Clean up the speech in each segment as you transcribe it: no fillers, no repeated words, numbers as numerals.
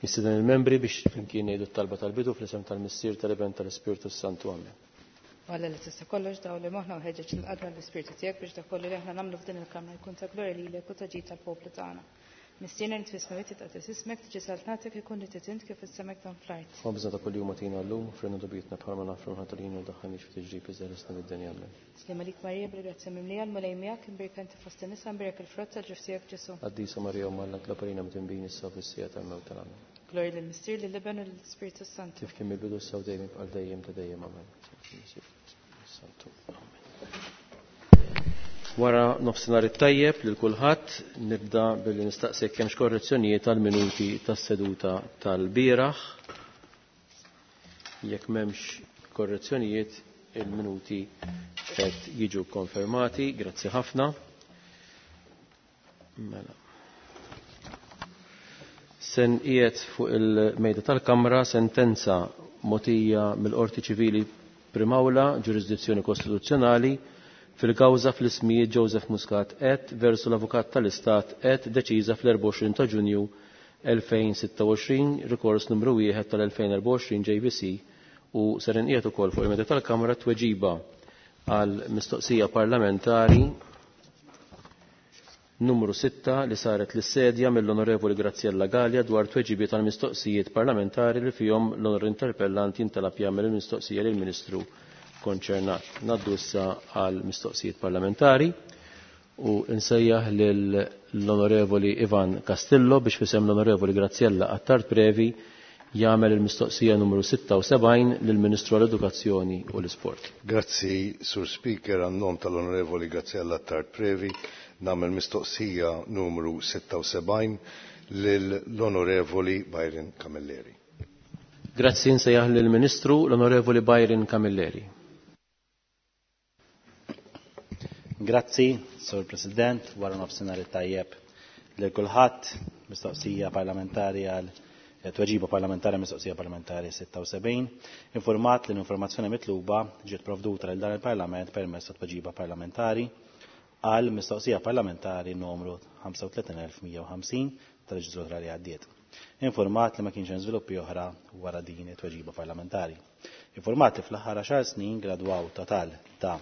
Nistieden il-membri biex flimkien ngħidu t-talba tal-bidu fl-isem tal-Missier, tal-Iben, tal-Ispirtu Santu. Amen. Alla li tista' kollox daw li moħħna u ħeġġeġ lil qalbna l-Ispirtu tiegħek biex dak kollu li aħna nagħmlu f'din il-kamra jkun ta' glorja lilek u ta' ġid tal-poplu tagħna. Missierna li fis-smewwiet titqaddes ismek, tiġi saltnatek ikun li trid int kif fis-sema hekk dan fl-art. Ħobżna ta' kuljum agħtina llum, frinna dubietna bħalma naħfru aħna tal-ħin u daħħalniex f'tiġrib iżda ħlisna mid-deni. Amen. Sliem għalik Marija bil-grazzja mimlija l-Mulej miegħek, imbierka inti fost in-nisa, imbierek il-frott tal-ġuf tiegħek Ġesù. Qaddisa Marija Omm Alla, itlob għalina midinbin issa u fis-siegħa tal-mewt tagħna. Amen. Glorja lill-Missier, lill-Iben u lill-Ispirtu s-Santu. Kif kien mill-bidu issa u dejjem għal dejjem ta' dejjem. Amen. Santu. Amen. Wara nofsinhar it-tajjeb lil kulħadd, nibda billi nistaqsi jekk hemmx korrezzjonijiet għal minuti tas-seduta tal-bieraħ. Jekk m'hemmx korrezzjonijiet, il-minuti qed jiġu konfermati. Grazzi ħafna. Mela. Sen qiegħed fuq il-mejda tal-Kamra sentenza mogħtija mill-Qorti Ċivili Primawla, ġurisdizzjoni kostituzzjonali, fil-kawża fl-ismijiet Joseph Muscat et versu l-Avukat tal-Istat et deċiża fl-24 ta' Ġunju 2026, rikors numru 1 tal-2024 JVC u ser inqiegħed ukoll fuq il-mejda tal-Kamra tweġiba għal mistoqsija parlamentari numru 6 li saret lis-sedja mill-Onorevoli Graziella Gallia dwar tweġibiet għal mistoqsijiet parlamentari li fihom l-onor interpellant jintalab jagħmel il-mistoqsija lill-Ministru konċernat. Naddu issa għal mistoqsijiet parlamentari u nsejjaħ lill-Onorevoli Ivan Castillo biex fisem l-Onorevoli Graziella Attard Previ jagħmel il-mistoqsija numru 76 lill-Ministru għall-Edukazzjoni u l-Isport. Grazzi, Sur Speaker, għan-nom tal-Onorevoli Graziella Attard Previ, nagħmel mistoqsija numru 76 lill-Onorevoli Byron Camilleri. Grazzi, nsejjaħ lill-Ministru l-Onorevoli Byron Camilleri. Grazzi, Sur President, wara nofsinhar it-tajjeb lil kulħadd, mistoqsija parlamentari għal tweġiba parlamentari mistoqsija parlamentari 76, informat li l-informazzjoni mitluba ġiet provduta lil dan il-Parlament permezz ta' tweġiba parlamentari għal mistoqsija parlamentari numru 35150 tal-leġislatura li għaddiet. Informat li ma kienx hemm żviluppi oħra wara din it-tweġiba parlamentari. Informat li fl-aħħar 10 snin gradwaw total ta'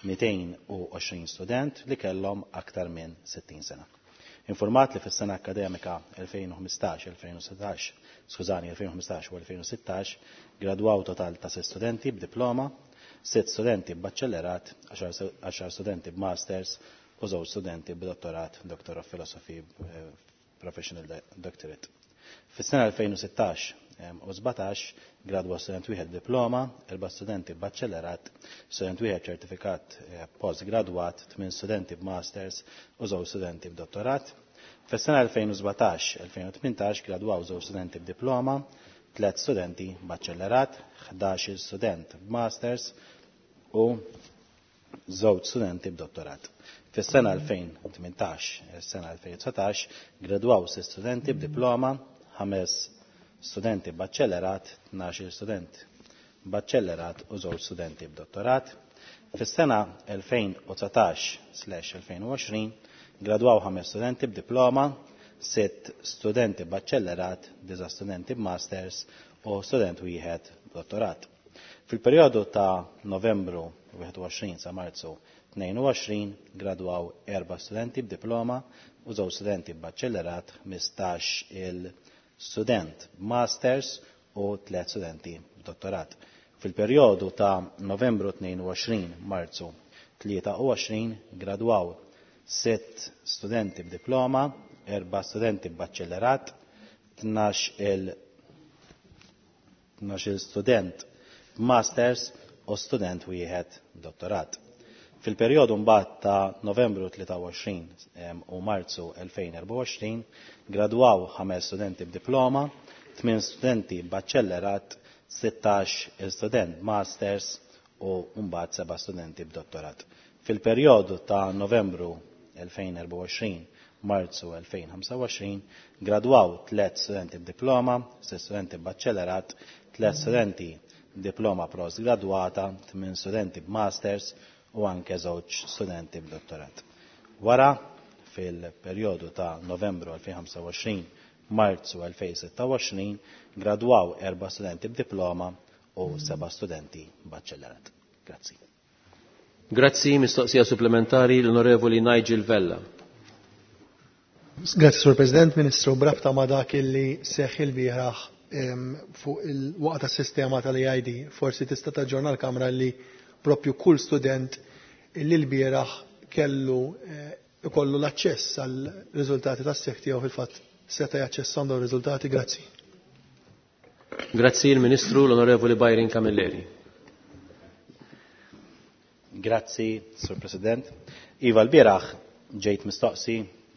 220 student li kellhom aktar minn 60 sena. Informat li fis-sena akademika 2015-2016, skużani, 2015 u 2016, gradwaw total ta' 6 studenti b'diploma, 6 studenti b'baċċellerat, 10 studenti b'masters u 2 studenti b'dottorat, Doctor of Philosophy, Professional Doctorate. Fis-sena 2016 u 17 gradwa student wieħed diploma, 4 studenti b'baċċellerat, student wieħed ċertifikat postgradwat, 8 studenti b'masters u 2 studenti b'dottorat. Fis-sena 2017-2018 gradwaw 2 studenti b'diploma, 3 studenti b'baċċellerat, 11 student b'masters u 2 studenti b'dottorat. Fis-sena 2018, sena 2019, gradwaw 6 studenti b'diploma, 5 studenti b'baċċellerat, 12 student b'baċċellerat u 2 studenti b'dottorat. Fis-sena 2019/2020 gradwaw 5 studenti b'diploma, 6 studenti b'baċċellerat, 9 studenti b'masters u student wieħed b'dottorat. Fil-perjodu ta' Novembru 21 sa Marzu 22 gradwaw 4 studenti b'diploma u 2 studenti b'baċċellerat, 15 il-student b'masters u 3 studenti b'dottorat. Fil-perjodu ta' Novembru 22 Marzu 23 gradwaw 6 studenti b'diploma, 4 studenti b'baċċellerat, 12 student b'masters u student wieħed b'dottorat. Fil-perjodu mbagħad ta' Novembru 23 u Marzu 2024 gradwaw 5 studenti b'diploma, 8 studenti b'baċċellerat, 16 il-student masters u mbagħad 7 studenti b'dottorat. Fil-perjodu ta' Novembru 2024 Marzu 2025 gradwaw 3 studenti b'diploma, 6 studenti b'baċċellerat, 3 studenti diploma postgradwata, 8 studenti b'masters u anke 2 studenti b'dottorat. Wara, fil-perjodu ta' Novembru 2025 Marzu 2026 gradwaw 4 studenti b'diploma u 7 studenti baċċellerat. Grazzi. Grazzi, mistoqsija supplementari l-Onorevoli Nigel Vella. Grazzi, Sur President, Ministru, brabta ma dak illi seħħ il-bieraħ fuq il-waqt tas-sistema tal-EID, forsi tista' taġġorna l-Kamra li propju kull student illi l-bieraħ kellu ikollu l-aċċess għal riżultati tas-seħħ tiegħu fil-fatt seta' jaċċessahom dawn ir-riżultati. Grazzi. Grazzi il-Ministru l-Onorevoli Byron Camilleri. Grazzi, Sur President. Iva, l-bieraħ ġejt mistoqsi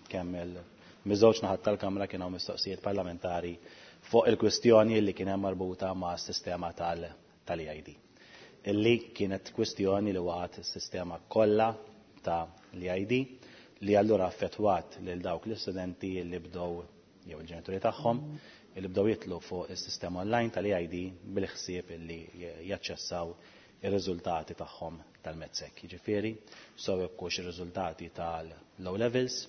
kemm il-miżewġ naħat tal-Kamra kienu mistoqsijiet parlamentari fuq il-kwistjoni li kien hemm marbuta ma' s-sistema tal-EID. Illi kienet kwistjoni li waqgħet is-sistema kollha ta' l-EID li allura affettwat lil dawk l-istudenti li bdew jew il-ġenituri tagħhom li bdew jitlu fuq is-sistema online tal-EID bil-ħsieb li jaċċessaw ir-riżultati tagħhom tal-MATSEC. Jiġifieri, sew jekkux ir-riżultati tal-low levels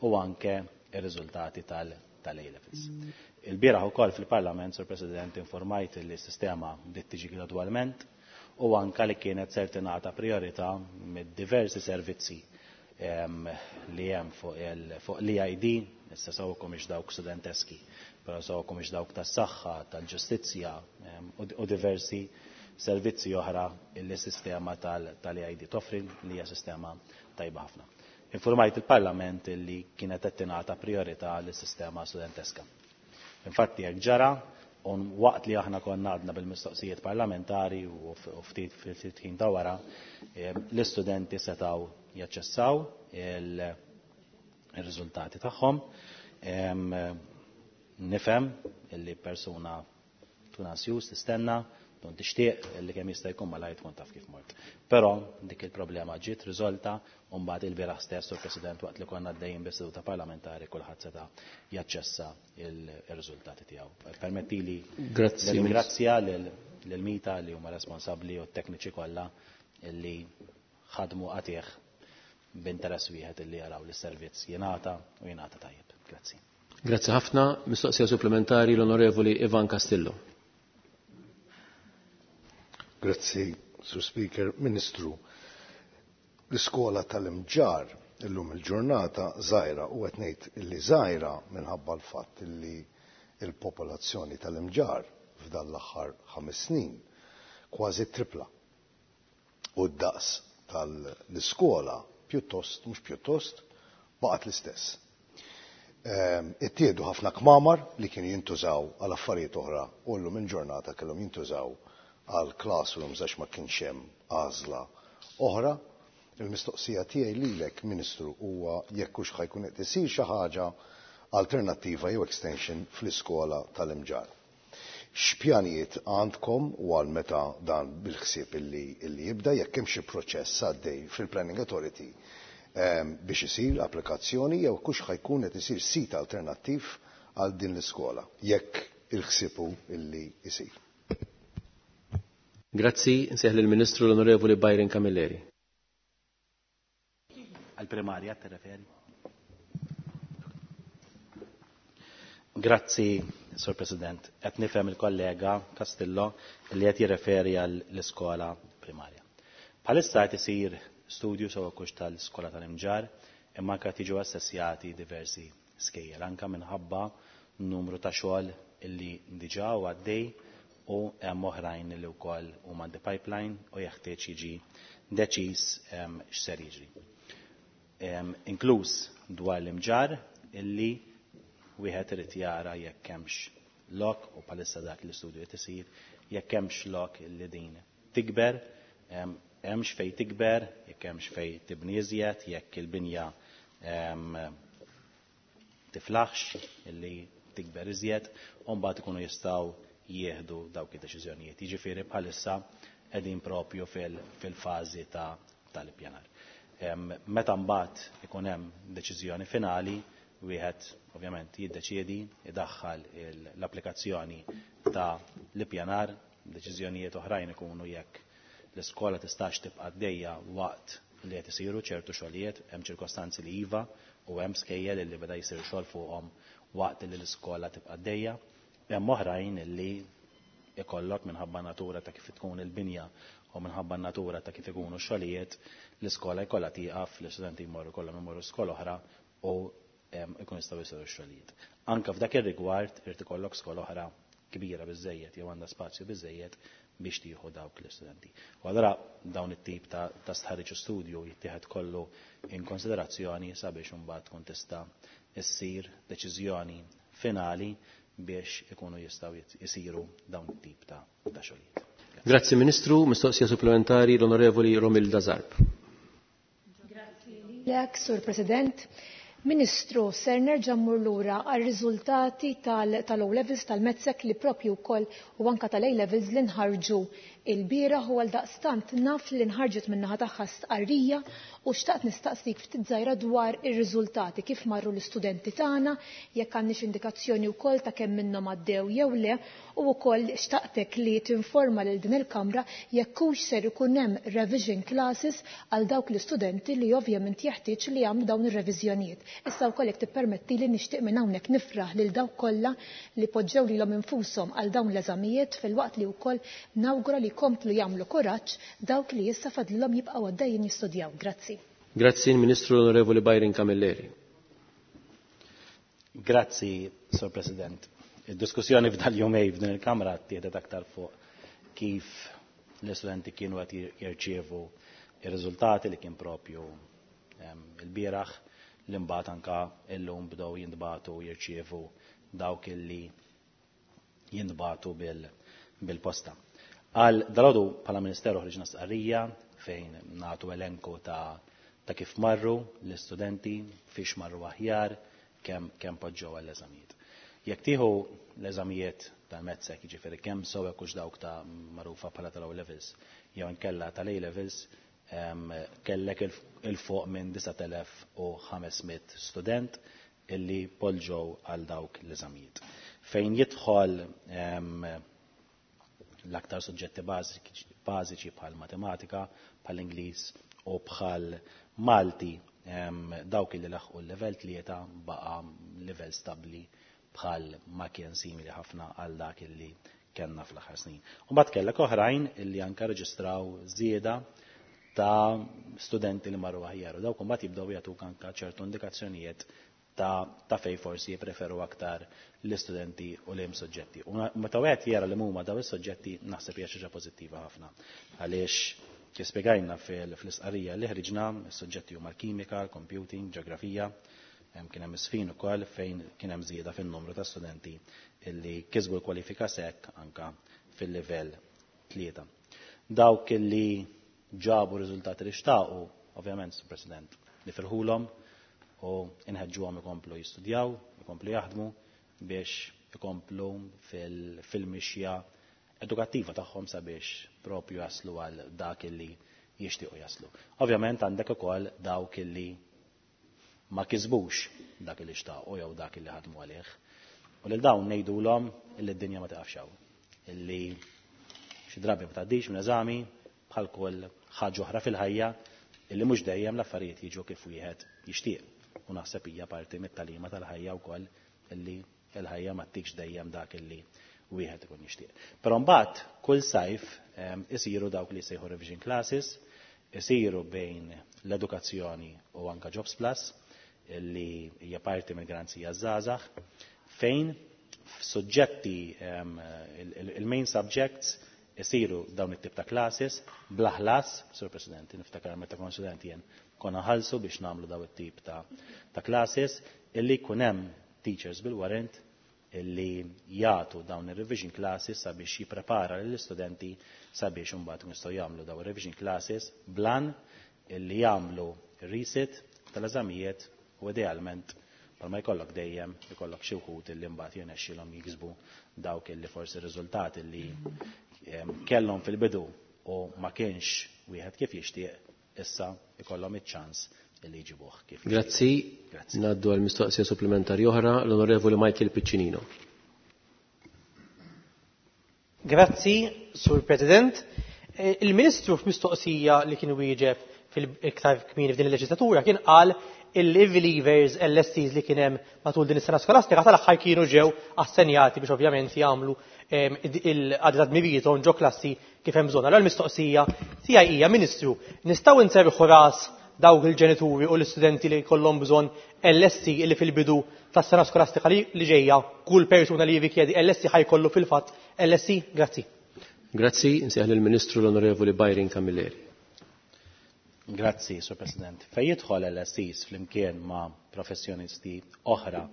u anke ir-riżultati tal-A levels. Il-bieraħ ukoll fil-Parlament, Sur President, informajt li s-sistema bdiet tiġi gradwalment u anke li kienet ser tingħata priorità mid-diversi servizzi li hemm fuq l-EID, issa sew ix dawk studenteski, però sew ix dawk tas-saħħa, tal-ġustizzja u diversi servizzi oħra illi sistema tal-EID toffri li hija sistema tajba ħafna. Informajt il-Parlament illi kienet qed tingħata priorità lis-sistema studenteska. Infatti hekk ġara un waqt li aħna konna għadna bil-mistoqsijiet parlamentari u ftit ftit ħin ta' wara, l-istudenti setgħu jaċċessaw il-riżultati tagħhom. Nifhem illi persuna tkun ansjuż tistenna, tkun tixtieq illi kemm jista' jkun malajr tkun taf kif mort. Però dik il-problema ġiet riżolta u mbagħad il-bieraħ stess u President waqt li konna għaddejjin bis-seduta parlamentari kulħadd seta' jaċċessa il-riżultati tiegħu. Permettili Grazzi, nirringrazzja lil Mita li huma responsabbli u t-tekniċi kollha illi ħadmu qatih b'interess wieħed illi jaraw li s-servizz jingħata u jingħata tajjeb. Grazzi. Grazzi ħafna. Mistoqsija supplementari l-Onorevoli Ivan Castillo. Grazzi, Sur Speaker. Ministru, l-iskola tal-Imġarr illum il-ġurnata żgħira u qed ngħid illi żgħira minħabba l-fatt illi il-popolazzjoni tal-Imġarr f'dan l-aħħar 5 snin kważi tripla. U d-daqs tal-iskola pjuttost, mhux pjuttost, baqgħet l-istess. Ittieħdu ħafna kmamar li kienu jintużaw għal affarijiet oħra u llum il-ġurnata kellhom jintużaw għal classrooms għax ma kienx hemm għażla oħra. Il-mistoqsija tiegħi lilek, Ministru, huwa jekk hux ħajkun qed isir xi ħaġa alternattiva jew extension fl-iskola tal-Imġarr. X'pjanijiet għandkom u għal meta dan bil-ħsieb illi jibda, jekk hemm xi proċess għaddej fil-Planning Authority biex isir applikazzjoni jew kux ħajkun qed isir sit alternattiv għal din l-iskola, jekk il-ħsieb hu illi isir. Grazzi, nsejħ lill-Ministru l-Onorevoli Byron Camilleri. Għal-primarja te referi? Grazzi, Sur President. Qed nifhem il-kollega Castillo li qed jirreferi għall-iskola primarja. Bħalissa qed isir studju sew kux tal-iskola tal-Imġarr, imma anke qed jiġu assessjati diversi skejjel anke minħabba numru ta' xogħol illi diġà u għaddej u hemm oħrajn li wkoll huma the pipeline u jeħtieġ jiġi deċiż x'ser jiġri. Inkluż dwar l-Imġarr illi wieħed irid jara jekk hemmx lok u bħalissa dak l-istudju qed isir jekk hemmx lok illi din tikber, hemmx fejn tikber, jekk hemmx fejn tibni iżjed, jekk il-binja tiflaħx illi tikber iżjed, u mbagħad ikunu jistgħu jieħdu dawk id-deċiżjonijiet. Jiġifieri bħalissa qegħdin propju fil-fażi tal-ippjanar. Meta mbagħad ikun hemm deċiżjoni finali, wieħed ovvjament jiddeċiedi idaħħal l-applikazzjoni ta' l-ippjanar, deċiżjonijiet oħrajn ikunu jekk l-iskola tistax tibqa' għaddejja waqt li qed isiru ċertu xogħlijiet, hemm ċirkostanzi li iva u hemm skejjel li beda jsir xogħol fuqhom waqt li l-iskola tibqa' għaddejja. Hemm oħrajn li ikollok minħabba natura ta' kif tkun il-binja u minħabba natura ta' kif ikunu x-xogħlijiet, l-iskola jkollha tieqaf, l-istudenti jmorru kollhom imorru skola oħra u ikun jistgħu jsiru x-xogħlijiet. Anke f'dak ir-rigward irid ikollok skola oħra kbira biżejjed jew għandha spazju biżejjed biex tieħu dawk l-istudenti. U allura dawn it-tip ta' stħarriġ u studju jittieħed kollu in konsiderazzjoni sabiex imbagħad tkun tista' issir deċiżjoni finali biex ikunu jistgħu jsiru dawn it-tip ta' xogħlijiet. Grazzi Ministru, mistoqsija supplementari l-Onorevoli Romilda Zarb. Grazzi lilek, Sur President. Ministru, ser nerġa' mmur lura għar-riżultati tal-O levels tal-Medsec li propju wkoll u anka tal-A levels li nħarġu il-bieraħ u għaldaqstant naf li nħarġet min-naħa tagħha stqarrija u xtaqt nistaqsik ftit żgħira dwar ir-riżultati kif marru l-istudenti tagħna, jekk għandniex indikazzjoni wkoll ta' kemm minnhom għaddew jew le u wkoll xtaqtek li tinforma lil din il-Kamra jekk hux ser ikun hemm revision classes għal dawk l-istudenti li ovvjament jeħtieġ li jagħmlu dawn ir-reviżjonijiet. Issa wkoll jekk tippermettili nixtieq minn hawnhekk nifraħ lil dawk kollha li poġġew lilhom infushom għal dawn l-eżamijiet filwaqt li wkoll nawgura li jkomplu jagħmlu kuraġġ dawk li issa fadlilhom jibqgħu għaddejjin jistudjaw. Grazzi. Grazzi Ministru l-Onorevoli Byron Camilleri. Grazzi, Sur President. Id-diskussjoni f'dal-jumej f'din il-Kamra ttieħdet aktar fuq kif l-istudenti kienu qed jirċievu ir-riżultati li kien propju il-bieraħ li mbagħad anka illum bdew jintbagħtu jirċievu dawk illi jintbagħtu bil-posta. Għal dalgħodu bħala Ministeru ħriġna stqarrija fejn nagħtu elenku ta' ta' kif marru l-istudenti, fiex marru aħjar, kemm kemm poġġew għall-eżamijiet. Jekk tieħu l-eżamijiet tal-Medsec, jiġifieri kemm sew hekk hux dawk ta' magħrufa bħala tal-O levels jew inkella tal-A levels, kellek il fuq minn 9500 student illi poġġew għal dawk l-eżamijiet. Fejn jidħol l-aktar suġġetti bażiċi bħal matematika, bħal Ingliż u bħal Malti, dawk illi laħqu l-level 3 baqa livell stabbli bħal ma kien simili ħafna għal dak illi kellna fl-aħħar snin. U mbagħad kellek oħrajn illi anke reġistraw żieda ta' studenti li marru aħjar. U dawk imbagħad jibdew jagħtuk anke ċertu indikazzjonijiet ta' fej forsi jippreferu aktar l-istudenti u liem soġġetti. U meta wieħed jara li huma daw is-soġġetti naħseb hija xi ħaġa pożittiva ħafna. Għaliex kif spjegajna fl-istqarrija li ħriġna, is-suġġetti huma l-kimika, l-computing, ġeografija, kien hemm isfin ukoll fejn kien hemm żieda fin-numru ta' studenti illi kisbu l-kwalifika SEC anka fil-livell 3. Dawk illi ġabu riżultati li xtaqu, ovvjament, Sur President, nifirħulhom u inħeġġuhom ikomplu jistudjaw, ikomplu jaħdmu biex ikomplu fil-mixja edukattiva tagħhom sabiex propju jaslu għal dak illi jixtiequ jaslu. Ovvjament għandek ukoll dawk illi ma kisbux dak illi xtaqu jew dak illi ħadmu għalih. U lil dawn ngħidulhom illi d-dinja ma tiqafx hawn. Illi xi drabi ma tgħaddix minn eżami bħal kull ħaġa oħra fil-ħajja illi mhux dejjem l-affarijiet jiġu kif wieħed jixtieq. U naħseb hija parti mit-tagħlima tal-ħajja wkoll illi l-ħajja ma ttikx dejjem dak illi wieħed ikun jixtieq. Però mbagħad kull sajf isiru dawk li jsejħu revision classes, isiru bejn l-edukazzjoni u anka Jobs Plus illi hija parti mill-garanzija żgħażagħ fejn f'suġġetti il-main subjects isiru dawn it-tip ta' classes bla ħlas, Sur President, niftakar meta kont student jien konna ħalsu biex nagħmlu daw it-tip ta' classes illi jkun hemm teachers bil-warrant illi jagħtu dawn ir-revision classes sabiex jipprepara lill-istudenti sabiex imbagħad jistgħu jagħmlu dawn ir-revision classes blan illi jagħmlu resit tal-eżamijiet u idealment bħalma jkollok dejjem ikollok xi wħud illi mbagħad jirnexxilhom jiksbu dawk illi forsi riżultati li kellhom fil-bidu u ma kienx wieħed kif jixtieq issa ikollhom iċ-ċans illi jġibuh kif. Grazzi. Grazzi. Ngħaddu għal mistoqsija supplementari oħra l-Onorevoli Michael Piccinino. Grazzi, Sur President. Il-Ministru f'mistoqsija li kien wieġeb fil-iktar kmieni f'din il-leġislatura kien qal illi leavers LSCs li kien hemm matul din is-sena skolastika tal-aħħar kienu ġew assenjati biex ovvjament jagħmlu il-qadi ta' dmirijiethom ġo klassi kif hemm bżonn. Allura l-mistoqsija tiegħi hija, Ministru, nistgħu nserrħu ras dawk il-ġenituri u l-istudenti li jkollhom bżonn LSC illi fil-bidu tas-sena skolastika li ġejja kull persuna li jirrikjedi LSC ħa jkollu fil-fatt LSC? Grazzi. Grazzi, nsejjaħ lill-Ministru l-Onorevoli Byron Camilleri. Grazzi, Sur President. Fejn jidħol LSCs flimkien ma' professjonisti oħra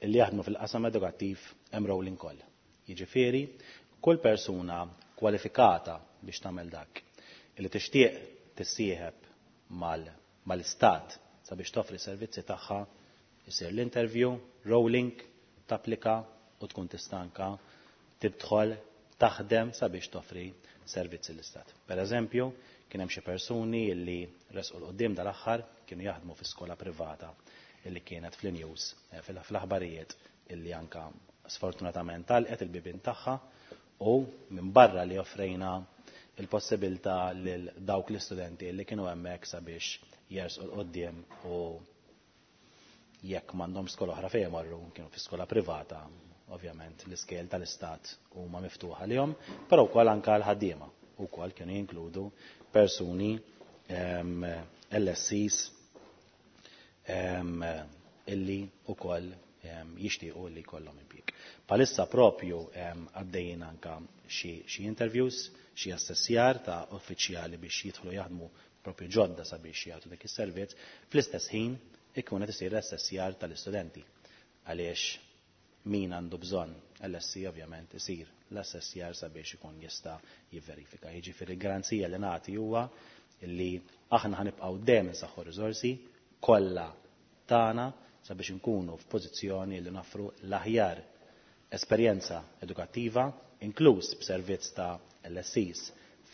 li jaħdmu fil-qasam edukattiv hemm rolling call. Jiġifieri, kull persuna kwalifikata biex tagħmel dak illi tixtieq tissieħeb mal-istat sabiex toffri servizzi tagħha, isir l-interview, rolling, tapplika u tkun tista' anka tidħol taħdem sabiex toffri servizzi l-istat. Per eżempju, kien hemm xi persuni illi resqu 'l quddiem dal-aħħar kienu jaħdmu fi skola privata illi kienet fl-news, fl-aħbarijiet, illi anka sfortunatament għalqet il-bibien tagħha, u minn barra li offrejna il-possibilità lil dawk l-istudenti li kienu hemmhekk sabiex jersqu 'l quddiem u jekk m'għandhom skola oħra fejn marru, kienu fi skola privata, ovvjament l-iskejjel tal-istat huma miftuħa lihom, però wkoll anke l-ħaddiema wkoll kienu jinkludu persuni LSCs illi wkoll jixtiequ li jkollhom impjieg. Bħalissa propju għaddejjin anka xi interviews, xi assessjar ta' uffiċjali biex jidħlu jaħdmu propju ġodda sabiex jagħtu dik is-servizz, fl-istess ħin ikun qed isir l-assessjar tal-istudenti. Għaliex min għandu bżonn LSC ovvjament isir l-assessjar sabiex ikun jista' jivverifika. Jiġifieri l-garanzija li nagħti huwa li aħna ħanibqgħu dejjem insaħħu riżorsi kollha tagħna sabiex inkunu f'pożizzjoni li noffru l-aħjar esperjenza edukattiva, inkluż b'servizz ta' LSCs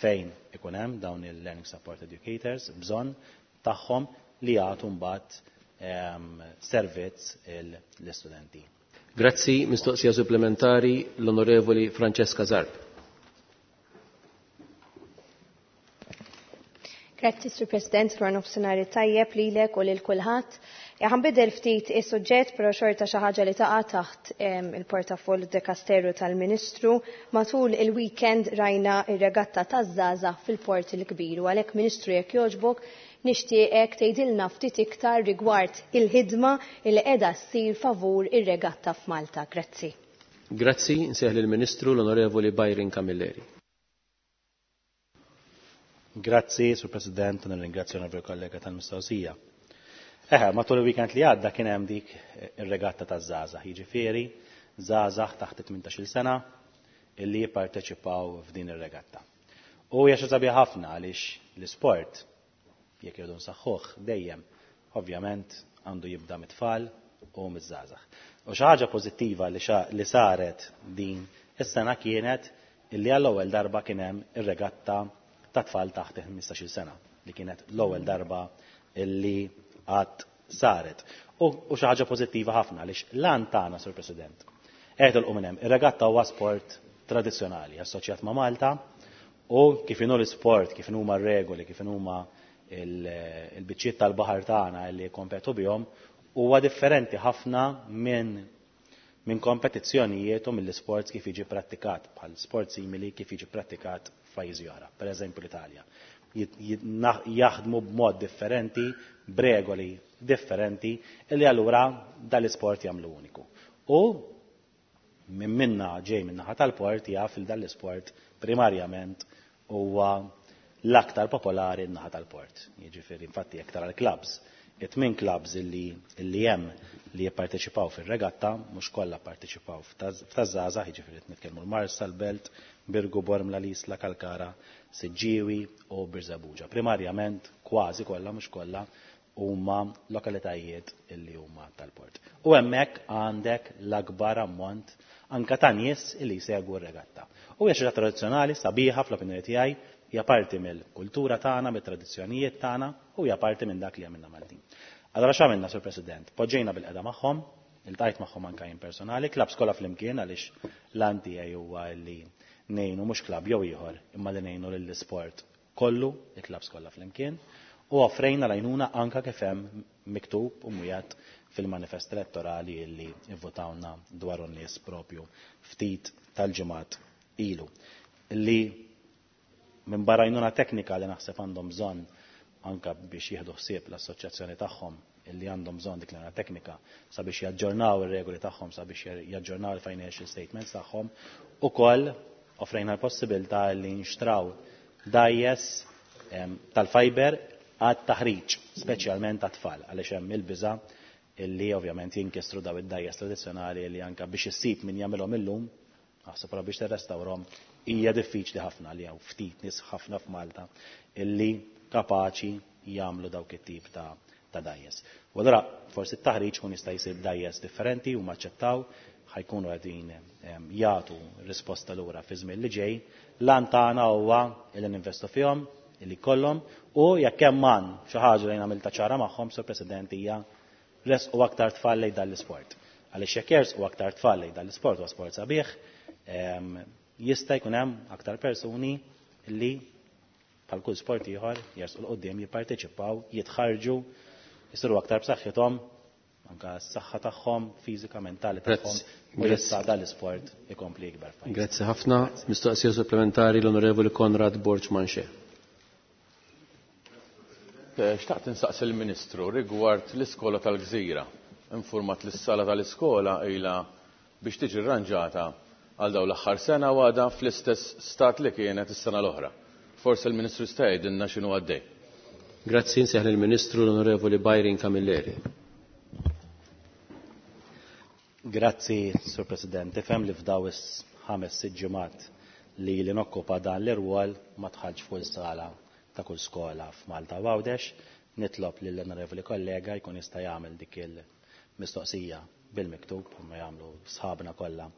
fejn ikun hemm dawn il-Learning Support Educators bżonn tagħhom li jagħtu mbagħad servizz l-istudenti. Grazzi, mistoqsija supplementari l-Onorevoli Francesca Zarb. Grazzi, Sur President, wara nofsinhar tajjeb lilek u lil kulħadd. Ħanbidel ftit is-suġġett, però xorta xi ħaġa li taqa' taħt il-portafoll dekasteru tal-Ministru. Matul il-weekend rajna ir-regatta taż-żgħażagħ fil-Port il-Kbir u għalhekk, Ministru, jekk jogħġbok, nixtieqek tgħidilna ftit iktar rigward il-ħidma li qiegħda ssir favur ir-regatta f'Malta. Grazzi. Grazzi, nsejjaħ lill-Ministru l-Onorevoli Byron Camilleri. Grazzi, Sur President, u nirringrazzja l kollega tal-mistoqsija. Eħe, matul il-weekend li għadda kien hemm dik ir-regatta taż-żgħażagħ, jiġifieri żgħażagħ taħt 18-il sena illi jipparteċipaw f'din ir-regatta. U hija xi sabiħ ħafna għaliex l-isport, jekk irridu nsaħħuh dejjem, ovvjament għandu jibda mit-tfal u miż-żgħażagħ. U xi ħaġa pożittiva li saret din is-sena kienet illi għall-ewwel darba kien hemm ir-regatta ta' tfal taħt 15-il sena, li kienet l-ewwel darba illi qatt saret. U xi ħaġa pożittiva ħafna għaliex l-għan tagħna, Sur President, qed ilqu minn hemm. Ir-regatta huwa sport tradizzjonali assoċjat ma' Malta u kif inhu l-isport, kif huma r-regoli, kif huma il-biċċiet tal-baħar tagħna li kompetu bihom, huwa differenti ħafna minn kompetizzjonijiet u mill-isports kif jiġi prattikat, bħal sport simili kif jiġi prattikat f'pajjiżi oħra, per eżempju l-Italja. Jaħdmu b'mod differenti, b'regoli differenti, illi allura dal-isport jagħmlu uniku. U minn minna ġej minn naħa tal-port jaf il dal-isport primarjament huwa l-aktar popolari n-naħa tal-port. Jiġifieri infatti jekk tara l-clubs, it-tmien clubs illi hemm li jipparteċipaw fir-regatta, mhux kollha pparteċipaw f'taż-żgħażagħ, jiġifieri qed nitkellmu l-Marsa, l-Belt, Birgu, Bormla, L-Isla, Kalkara, Siġġiewi u Birżebbuġa. Primarjament kważi kollha, mhux kollha, huma lokalitajiet illi huma tal-port. U hemmhekk għandek l-akbar ammont anka ta' nies illi jsegwu r-regatta. U hija xi ħaġa tradizzjonali sabiħa fl-opinjoni tiegħi, hija parti mill-kultura tagħna, mit-tradizzjonijiet tagħna u hija parti minn dak li għamilna Maltin. Allora x'għamilna, Sur President? Poġġejna bil-qeda magħhom, iltqajt magħhom anke jien personali, clubs kollha flimkien għaliex l-għan tiegħi huwa li ngħinu mhux club jew ieħor, imma li ngħinu lill-isport kollu, il-clubs kollha flimkien. U offrejna l-għajnuna anka kif hemm miktub u mwiegħed fil-manifest elettorali li vvotawna dwaru n-nies propju ftit tal-ġimgħat ilu. Li minn barra għajnuna teknika li naħseb għandhom bżonn anka biex jieħdu ħsieb l-assoċjazzjoni tagħhom illi għandhom bżonn dik l-għajnuna teknika sabiex jaġġornaw ir-regoli tagħhom, sabiex jaġġornaw il-financial statements tagħhom, ukoll offrejna l-possibilità li nxtraw dgħajjes tal-fiber għat-taħriġ, speċjalment għat-tfal, għaliex hemm il-biża' illi ovvjament jinkisru daw id-dgħajjes tradizzjonali li anka biex issib min jagħmilhom illum, aħseb wara biex tirrestawrhom, hija diffiċli ħafna li hawn ftit nies ħafna f'Malta illi kapaċi jagħmlu dawk it-tip ta' dgħajjes. U allura forsi t-taħriġ kun jista' jsir b'dgħajjes differenti u maċċettaw ħajkunu qegħdin jagħtu risposta lura fi żmien li ġej. L-għan tagħna huwa illi ninvestu fihom, illi jkollhom, u jekk hemm għan xi ħaġa li għamilta ċara magħhom, Sur President, hija resqu aktar tfal lejn dan l-isport. Għaliex jekk jersqu aktar tfal lejn dan l-isport huwa sport sabiħ, jista' jkun hemm aktar persuni li bħal kull sport ieħor jersqu 'l quddiem, jipparteċipaw, jitħarġu, jisiru aktar b'saħħithom, anka s-saħħa tagħhom, fiżika, mentali tagħhom, u jista' dan l-isport ikompli jikber f'pajjiżna. Grazzi ħafna. Mistoqsija supplementari l-Onorevoli Konrad Borg Manché. Xtaqt insaqsi l-Ministru rigward l-iskola tal-Gżira. Informat li s-sala tal-iskola ilha biex tiġi rranġata għal dawn l-aħħar sena u għadha fl-istess stat li kienet is-sena l-oħra. Forsi l-Ministru jista' jgħidilna x'inhu għaddej. Grazzi, nsejħ lill-Ministru l-Onorevoli Byron Camilleri. Grazzi, Sur President. Tifhem li f'daw is-5-6 ġimgħat li li nokkupa dan l-irwol ma tħallx fuq is-sala ta' kull skola f'Malta u Għawdex. Nitlob lill-onorevoli kollega jkun jista' jagħmel dik il-mistoqsija bil-miktub bħalma jagħmlu sħabna kollha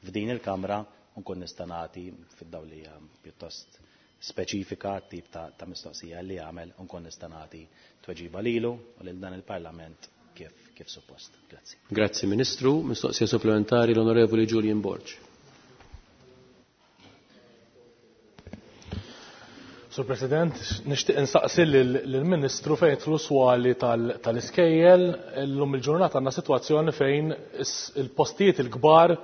f'din il-Kamra u nkun nista' nagħti fid-dawl li hija pjuttost speċifika tip ta' mistoqsija li jagħmel u nkun nista' nagħti tweġiba lilu u lil dan il-Parlament kif suppost. Grazzi. Grazzi Ministru. Mistoqsija supplementari l-Onorevoli Julian Borg. Sur President, nixtieq insaqsi lill-Ministru fejn jidħlu swali tal-iskejjel. Illum il-ġurnata għandna sitwazzjoni fejn il-postijiet il-kbar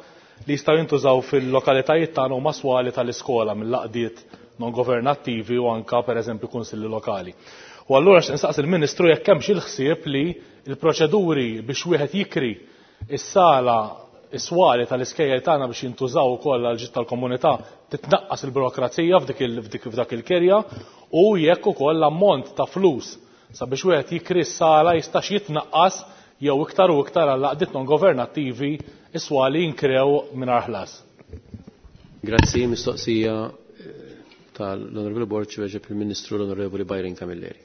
li jistgħu jintużaw fil-lokalitajiet tagħna huma swali tal-iskola mill-laqdiet non governattivi u anka pereżempju kunsilli lokali. U allura xtieq insaqsi l-Ministru jekk hemmx il-ħsieb li l-proċeduri biex wieħed jikri is-sala is-swali tal-iskejjel tagħna biex jintużaw ukoll għal ġid tal-komunità titnaqqas il-burokrazija f'dak il-kirja u jekk ukoll l-ammont ta' flus sabiex wieħed jikri s-sala jistax jitnaqqas jew iktar u iktar għal laqdiet non governattivi is-swali jinkrew mingħajr ħlas. Grazzi, mistoqsija tal-Onorevoli Borg weġeb il-Ministru l-Onorevoli Byron Camilleri.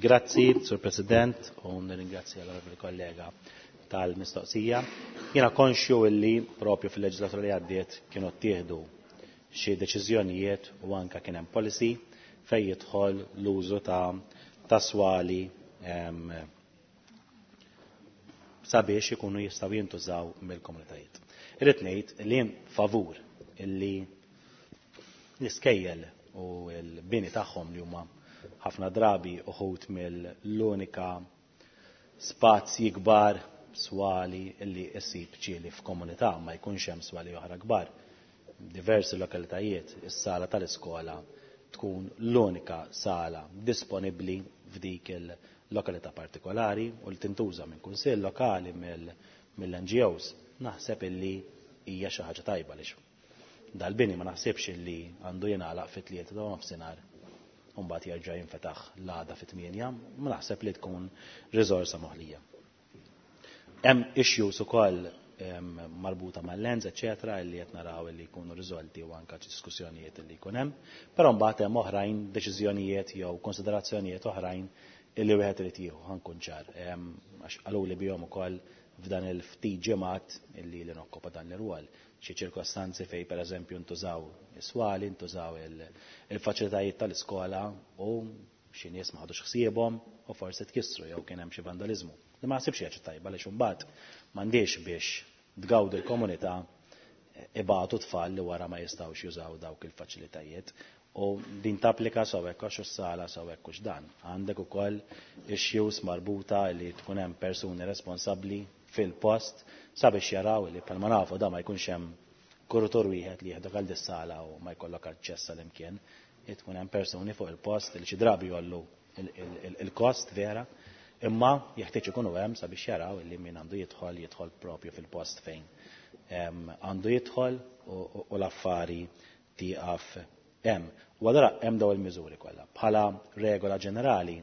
Grazzi, Sur President, u nirringrazzja l-Onorevoli kollega tal-mistoqsija. Jiena konxju illi propju fil-leġislatura li għaddiet kienu ttieħdu xi deċiżjonijiet u anka kien hemm policy fejn jidħol l-użu ta' swali sabiex ikunu jistgħu jintużaw mill-komunitajiet. Irrid ngħid li jien favur illi l-iskejjel u l-bini tagħhom li huma ħafna drabi uħud mill-unika spazji kbar swali illi issib ġieli f'komunità ma jkunx hemm swali oħra kbar. Diversi lokalitajiet is-sala tal-iskola tkun l-unika sala disponibbli f'dik il-lokalità partikolari u li tintuża minn kunsill lokali mill-NGOs. Naħseb illi hija xi ħaġa tajba għaliex dal-bini ma naħsibx illi għandu jingħalaq fit-3 ta' nofsinhar u mbagħad jerġa' jinfetaħ l-għada fit-8, ma naħseb li tkun riżorsa moħlija. Hemm issues ukoll marbuta mal-lens, eċetera, illi qed naraw illi jkunu riżolti u anke diskussjonijiet illi jkun hemm, però mbagħad hemm oħrajn deċiżjonijiet jew konsiderazzjonijiet oħrajn illi wieħed irid jieħu, ħankun ċar, għax qaluli bihom ukoll f'dan il-ftit ġimgħat illi li nokkopa dan l-irwol. Xi ċirkostanzi fejn pereżempju ntużaw is-swali, ntużaw il-faċilitajiet tal-iskola u xi nies ma ħadux ħsiebhom u forsi tkissru jew kien hemm xi vandaliżmu. Li ma naħsibx hija tajba għaliex imbagħad m'għandix biex tgawdu l-komunità ibatu tfal li wara ma jistgħux jużaw dawk il-faċilitajiet. U din tapplika sew hekk għax is-sala sew hekk hux dan. Għandek ukoll issues marbuta li tkun hemm persuni responsabbli fil-post sabiex jaraw li bħalma nafu da ma jkunx hemm kurutur wieħed li jieħdok għal dis-sala u ma jkollok aċċess għal imkien. Tkun hemm persuni fuq il-post li xi drabi jollu il-kost vera, imma jeħtieġ ikunu hemm sabiex jaraw li min għandu jidħol jidħol propju fil-post fejn għandu jidħol u l-affari tieqaf hemm. U allura hemm dawn il-miżuri kollha. Bħala regola ġenerali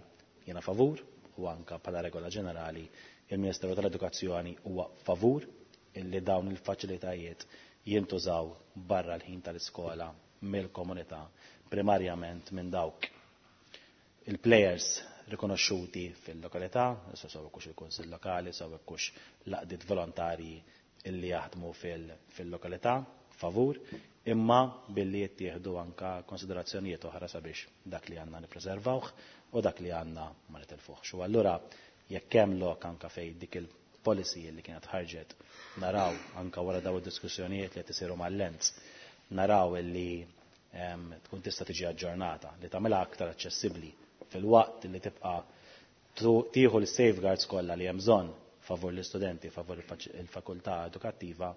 jiena favur u anka bħala regola ġenerali il-Ministeru tal-Edukazzjoni huwa favur illi dawn il-faċilitajiet jintużaw barra l-ħin tal-iskola mill-komunità, primarjament minn dawk il-players rikonoxxuti fil-lokalità, issa sew hekk hux il-Kunsill Lokali, sew hekk hux l-għaqdiet volontarji illi jaħdmu fil-lokalità, favur, imma billi jittieħdu anka konsiderazzjonijiet oħra sabiex dak li għandna nippreservawh u dak li għandna ma nitilfuhx. U allura jekk hemm lok anka fejn dik il-policy li kienet ħarġet naraw anka wara daw id-diskussjonijiet li qed isiru mal-lens, naraw illi tkun tista' tiġi aġġornata, li tagħmilha aktar aċċessibbli fil-waqt li tibqa' tieħu l-safeguards kollha li hemm bżonn favur l-istudenti, favur il-fakultà edukattiva,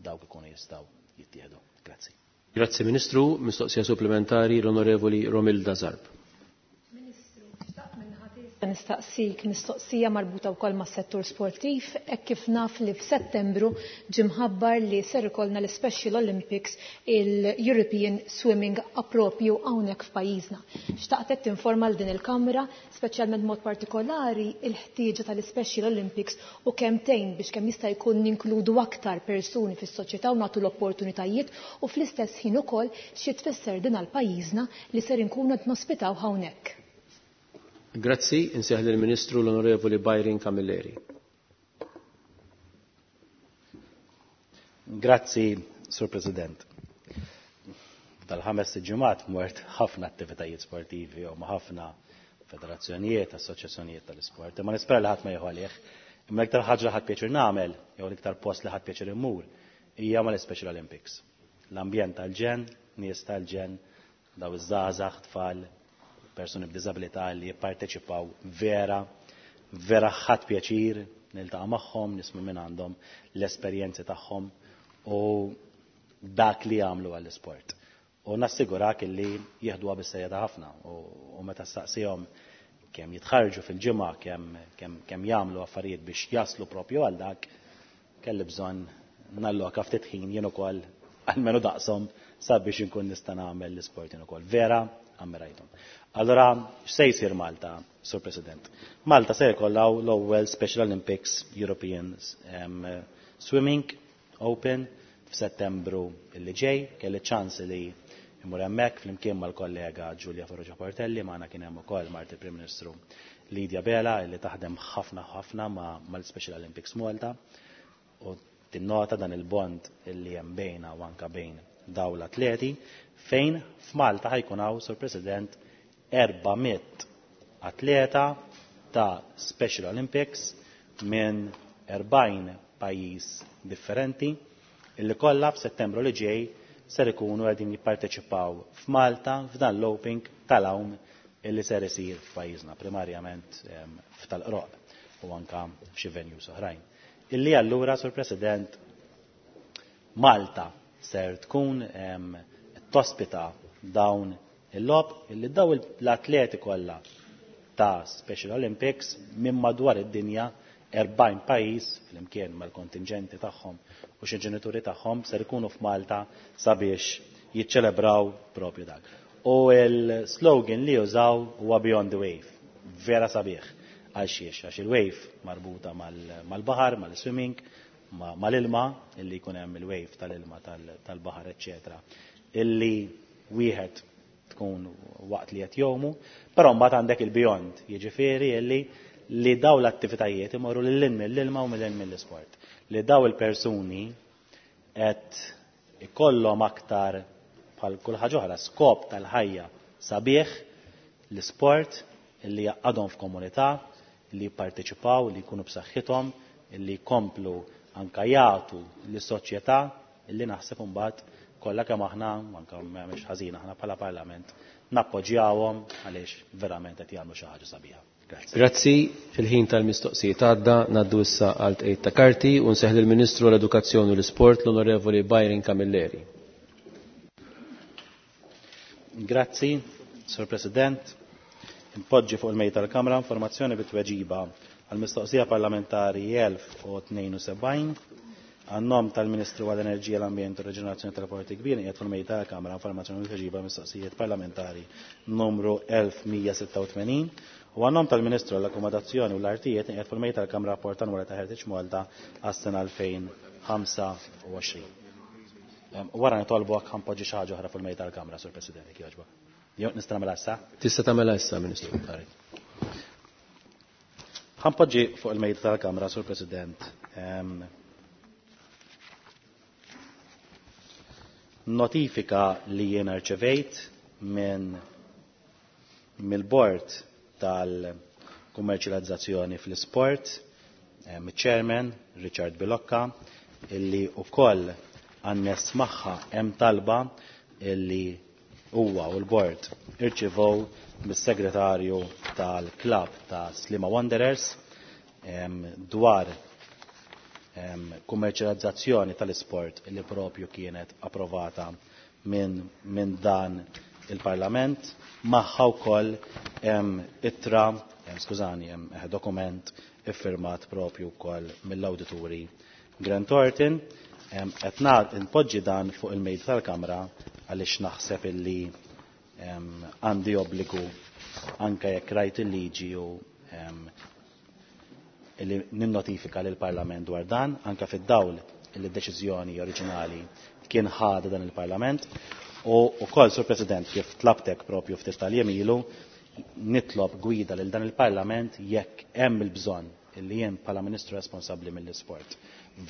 dawk ikunu jistgħu jittieħdu. Grazzi. Grazzi Ministru, mistoqsija supplementari l-Onorevoli Romilda Zarb. Nistaqsik mistoqsija marbuta wkoll mas-settur sportiv, hekk kif naf li f'Settembru ġie mħabbar li ser ikollna l-Special Olympics il-European Swimming appropju hawnhekk f'pajjiżna. Xtaqtek tinforma l din il-Kamra, speċjalment mod partikolari il-ħtieġa tal-Special Olympics u kemm tgħin biex kemm jista' jkun ninkludu aktar persuni fis-soċjetà u nagħtu l-opportunitajiet u fl-istess ħin ukoll xi tfisser din għal pajjiżna li ser inkunu qed nospitaw hawnhekk. Grazzi, insejjaħ lill-Ministru l-Onorevoli Byron Camilleri. Grazzi, Sur President. Dal-ħames ġimgħat mort ħafna attivitajiet sportivi u ma' ħafna federazzjonijiet, assoċjazzjonijiet tal-isport. Imma nispera li ħadd ma jieħu għalih. Imma l-iktar ħaġa li ħadd pjaċir nagħmel, jew l-iktar post li ħadd pjaċir immur, hija mal-Special Olympics. L-ambjent tal-ġenn, nies tal-ġenn, daw iż-żgħażagħ, tfal, persuni b'diżabilità li jipparteċipaw vera, vera ħadd pjaċir niltaqa' magħhom, nisma' minn għandhom l-esperjenzi tagħhom u dak li jagħmlu għall-isport. U nassigurak li jieħduha bis-serjetà ħafna u meta staqsihom kemm jitħarġu fil-ġimgħa, kemm jagħmlu affarijiet biex jaslu propju għal dak, kelli bżonn nalloka ftit ħin jien ukoll almenu daqshom sabiex inkun nista' nagħmel l-isport jien ukoll. Vera ammirajthom. Allora, x'se jsir Malta, Sur President? Malta se jkollha l-ewwel Special Olympics European Swimming Open f'Settembru li ġej, kelli ċans li immur hemmhekk flimkien mal-kollega Giulia Farrugia Portelli, magħna kien hemm ukoll mart il-Prim Ministru Lydia Bela li taħdem ħafna ħafna mal-Special Olympics Malta u tinnota dan il-bond illi hemm bejna u anka bejn daw l-atleti fejn f'Malta ħajkun hawn, Sur President, 400 atleta ta' Special Olympics minn 40 pajjiż differenti illi kollha f'Settembru li ġej ser ikunu qegħdin jipparteċipaw f'Malta f'dan l-Open tal-għawm illi ser isir f'pajjiżna, primarjament f'Tal-Qroq u anka f'xi venues oħrajn. Illi allura, Sur President, Malta ser tkun tospita dawn il-logħob illi daw l-atleti kollha ta' Special Olympics minn madwar id-dinja 40 pajjiż flimkien mal-kontingenti tagħhom u xi ġenituri tagħhom ser ikunu f'Malta sabiex jiċċelebraw propju dak. U l-slogan li jużaw huwa Beyond the Wave, vera sabiħ. Għal xiex, għax il-wave marbuta mal-baħar, mal-swimming, mal-ilma, illi jkun hemm il-wave tal-ilma tal-baħar, eċċetera. Illi wieħed tkun waqt li qed jgħumu, però mbagħad għandek il-beyond, jiġifieri illi li daw l-attivitajiet imorru lil hinn mill-ilma u lil hinn mill-isport. Li daw il-persuni qed ikollhom aktar bħal kull ħaġa oħra skop tal-ħajja sabiħ l-isport illi jaqadhom f'komunità, li jipparteċipaw, li jkunu b'saħħithom, illi jkomplu anka jagħtu lis-soċjetà illi naħseb imbagħad Kollha kemm aħna, anke mhux ħażin aħna bħala Parlament, nappoġġjawhom għaliex verament qed jagħmlu xi ħaġa sabiħa. Grazzi. Grazzi, il-ħin tal-mistoqsijiet għadda, ngħaddu issa għal tqegħid ta' karti u nseħħ lill-Ministru għall-Edukazzjoni u l-Isport l-Onorevoli Byron Camilleri. Grazzi, Sur President. Npoġġi fuq il-mejda tal-Kamra informazzjoni bit-tweġiba għall-mistoqsija parlamentari 1072 għan-nom tal-Ministru għall-Enerġija, l-Ambjent u r-Reġenerazzjoni tal-Porti Kbir qiegħed fuq il-mejda tal-Kamra informazzjoni bit-tweġiba għall-mistoqsijiet parlamentari numru 1186 u għan-nom tal-Ministru għall-Akkomodazzjoni u l-Artijiet qiegħed fuq il-mejda tal-Kamra rapport annwali ta' Heritage Malta għas-sena 2025. Wara nitolbok ħanpoġġi xi ħaġa oħra fuq il-mejda tal-Kamra, Sur President, jekk jogħġbok. Jew nista' nagħmilha issa? Tista' tagħmilha issa, Ministru. Ħanpoġġi fuq il-mejda tal-Kamra, Sur President, notifika li jiena rċevejt minn mill-bord tal-kummerċjalizzazzjoni fl-isport, chairman Richard Bilocca, illi wkoll għannes magħha hemm talba illi huwa u l-bord irċivow mis-segretarju tal-klab ta' Sliema Wanderers dwar kummerċjalizzazzjoni tal-isport li propju kienet approvata minn dan il-Parlament. Magħha wkoll hemm ittra, skużani, hemm dokument iffirmat propju wkoll mill-awdituri Grant Thornton. Qed npoġġi dan fuq il-mejda tal-Kamra għaliex naħseb illi għandi obbligu anke jekk rajt il-liġi u illi ninnotifika lill-Parlament dwar dan, anke fid-dawl illi d-deċiżjoni oriġinali kien ħada dan il-Parlament. U wkoll, Sur President, kif tlabtek propju ftit tal-jiem ilu, nitlob gwida lil dan il-Parlament jekk hemm il-bżonn illi jien bħala Ministru responsabbli mill-isport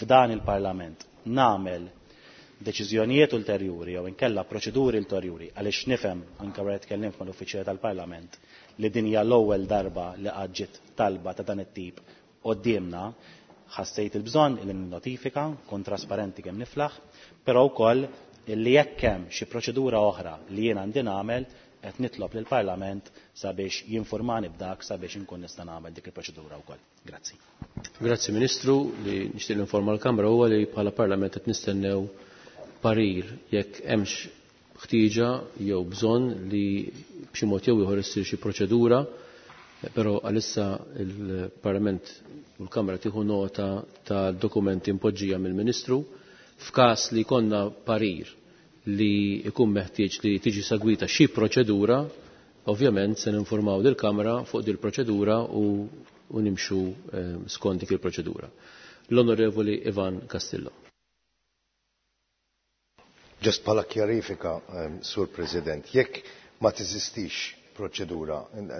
f'dan il-Parlament nagħmel deċiżjonijiet ulterjuri jew inkella proċeduri ulterjuri għaliex nifhem anke wara tkellimt mal-uffiċjali tal-Parlament li din hija l-ewwel darba li qatt ġiet talba ta' dan it-tip quddiemna, ħassejt il-bżonn illi ninnotifika, nkun trasparenti kemm niflaħ, però wkoll illi jekk hemm xi proċedura oħra li jien għandi nagħmel qed nitlob lill-Parlament sabiex jinformani b'dak sabiex inkun nista' nagħmel dik il-proċedura wkoll. Grazzi. Grazzi Ministru, li nixtieq ninforma l-Kamra huwa li bħala Parlament qed nistennew parir jekk hemmx ħtieġa jew bżonn li b'xi mod jew ieħor issir xi proċedura, però għalissa il-Parlament u l-Kamra tieħu nota ta' dokumenti impoġġija mill-Ministru f'każ li konna parir li jkun meħtieġ li tiġi segwita xi proċedura, ovvjament se ninformaw lill-Kamra fuq dil proċedura u nimxu skont dik il-proċedura. L-Onorevoli Ivan Castillo. Ġust bħala kjarifika, Sur President, jekk ma teżistix proċedura,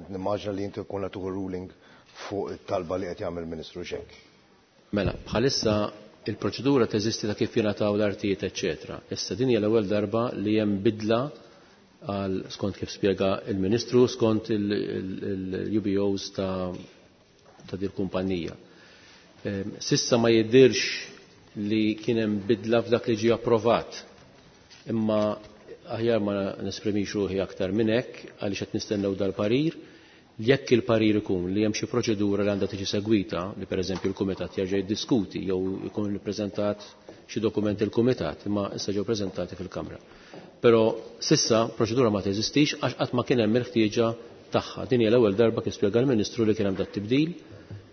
nimmaġna li inti jkun qed ruling fuq it-talba li qed jagħmel Ministru Xek. Mela, bħalissa il-proċedura teżisti ta' kif jingħataw l-artijiet, eċċetera. Issa din hija l-ewwel darba li hemm bidla għal skont kif spjega il-Ministru skont il-UBOs ta' dil kumpanija. Sissa ma jidhirx li kien hemm bidla f'dak li ġie approvat. Imma aħjar ma nesprimix ruħi aktar minn hekk għaliex qed nistennew dal-parir. Jekk il-parir ikun li hemm xi proċedura li għandha tiġi segwita, li pereżempju l-kumitat jerġa' jiddiskuti jew ikun ippreżentat xi dokument il-kumitat, imma issa ġew preżentati fil-Kamra. Però sissa proċedura ma teżistix għax qatt ma kien hemm il-ħtieġa tagħha. Din hija l-ewwel darba kif spjega l-Ministru li kien hemm dat tibdil.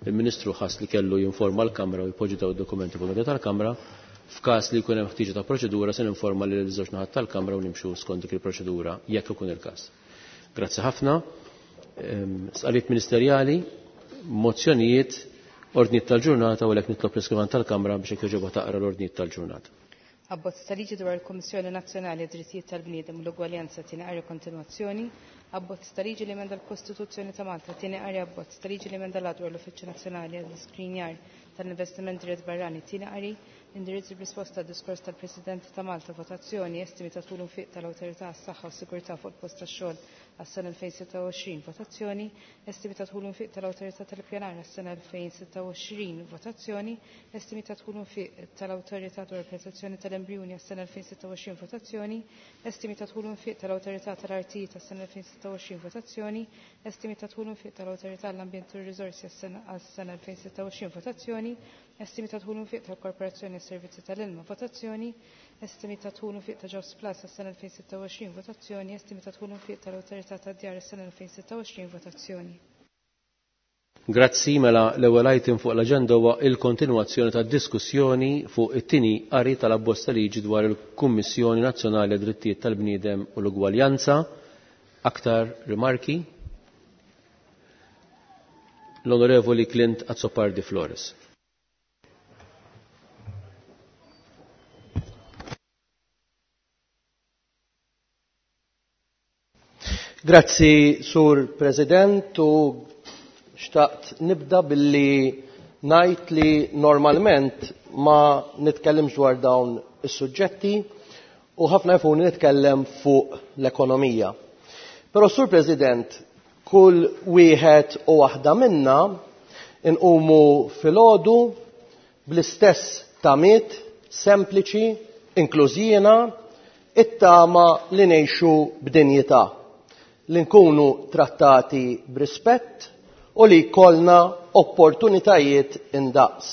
Il-Ministru ħass li kellu jinforma l-Kamra u jpoġġi daw id-dokumenti fuq meta tal-Kamra. F'każ li jkun hemm ħtieġa ta' proċedura se ninforma lil żewġ naħat tal-Kamra u nimxu skont dik il-proċedura jekk ikun il-każ. Grazzi ħafna. Sqaliet ministerjali, mozzjonijiet, ordnijiet tal-ġurnata u għalhekk nitlob l-iskrivan tal-Kamra biex jekk jogħġobha taqra l-ordnijiet tal-ġurnata. Abbozz ta' liġi dwar il-Kummissjoni Nazzjonali għad-Drittijiet tal-Bniedem u l-Ugwaljanza tieni qari kontinwazzjoni, abbozz ta' liġi li emenda l-Kostituzzjoni ta' Malta tieni qari abbozz ta' liġi li emenda l dwar l-Uffiċċju Nazzjonali għall-Iskrinjar tal-Investiment Dirett Barrani tieni qari, Indirizz b'risposta għad-diskors tal-President ta' Malta, votazzjoni. Estimi ta' dħul u nfiq tal-Awtorità għas-Saħħa u s-Sigurtà fuq il-post tax-xogħol għas-sena 2026, votazzjoni. Estimi ta' dħul u nfiq tal-Awtorità tal-Ippjanar għas-sena 2026, votazzjoni. Estimi ta' dħul u nfiq tal-Awtorità dwar il-Protezzjoni tal-Embrijuni għas-sena 2026, votazzjoni. Estimi ta' dħul u nfiq tal-Awtorità tal-Artijiet għas-sena 2026, votazzjoni. Estimi ta' dħul u nfiq tal-Awtorità għall-Ambjent u r-Riżorsi għas-sena 2026, votazzjoni. Estimi ta' dħul u nfiq tal-Korporazzjoni għas-Servizzi tal-Ilma, votazzjoni. Estimi ta' dħul u nfiq ta' Jobs Plus għas-sena 2026, votazzjoni. Estimi ta' dħul u nfiq tal-Awtorità tad-Djar għas-sena 2026, votazzjoni. Grazzi, mela l-ewwel item fuq l-aġenda huwa il-kontinwazzjoni tad-diskussjoni fuq it-tieni qari tal-abbozz ta' liġi dwar il-Kummissjoni Nazzjonali għad-Drittijiet tal-Bniedem u l-Ugwaljanza. Aktar rimarki? L-Onorevoli Clint Azzopardi Flores. Grazzi, Sur President, u xtaqt nibda billi ngħid li normalment ma nitkellimx dwar dawn is-suġġetti u ħafna jfuni nitkellem fuq l-ekonomija. Però, Sur President, kull wieħed u waħda minna inqumu filgħodu bl-istess tamiet sempliċi, inkluż jiena, it-tama li ngħixu b'dinjità, li nkunu trattati b'rispett u li jkollna opportunitajiet indaqs.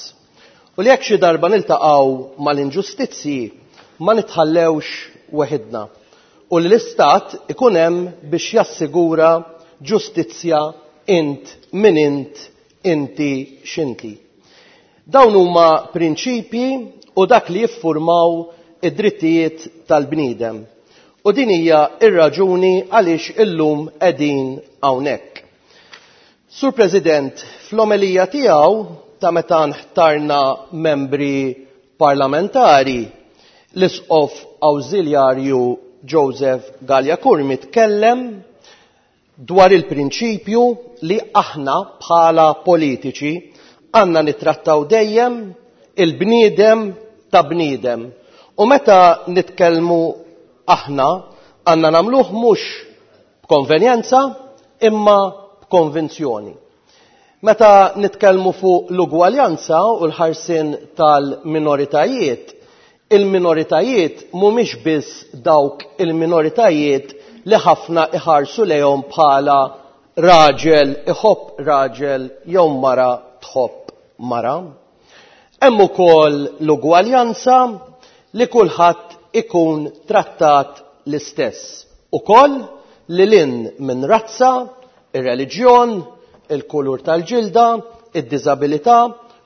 U li jekk xi darba niltaqgħu mal-inġustizzji ma nitħallewx weħidna u li l-Istat ikun hemm biex jassigura ġustizzja int min int, inti x'inti. Dawn huma prinċipji u dak li jiffurmaw id-drittijiet tal-bniedem. U din hija r-raġuni għaliex illum qegħdin hawnhekk. Sur President, fl-omelija tiegħu ta' meta nħtarna membri parlamentari, l-Isqof Awżiljarju Joseph Galea Curmi tkellem dwar il-prinċipju li aħna bħala politiċi għandna nittrattaw dejjem il-bniedem ta' bniedem. U meta nitkellmu aħna għandna nagħmluh mhux b'konvenjenza imma b'konvinzjoni. Meta nitkellmu fuq l-ugwaljanza u l-ħarsien tal-minoritajiet, il-minoritajiet mhumiex biss dawk il-minoritajiet li ħafna iħarsu lejhom bħala raġel iħobb raġel jew mara tħobb mara. Hemm ukoll l-ugwaljanza li kulħadd ikun trattat l-istess. Ukoll li lin minn razza, ir-reliġjon, il-kulur tal-ġilda, id-diżabilità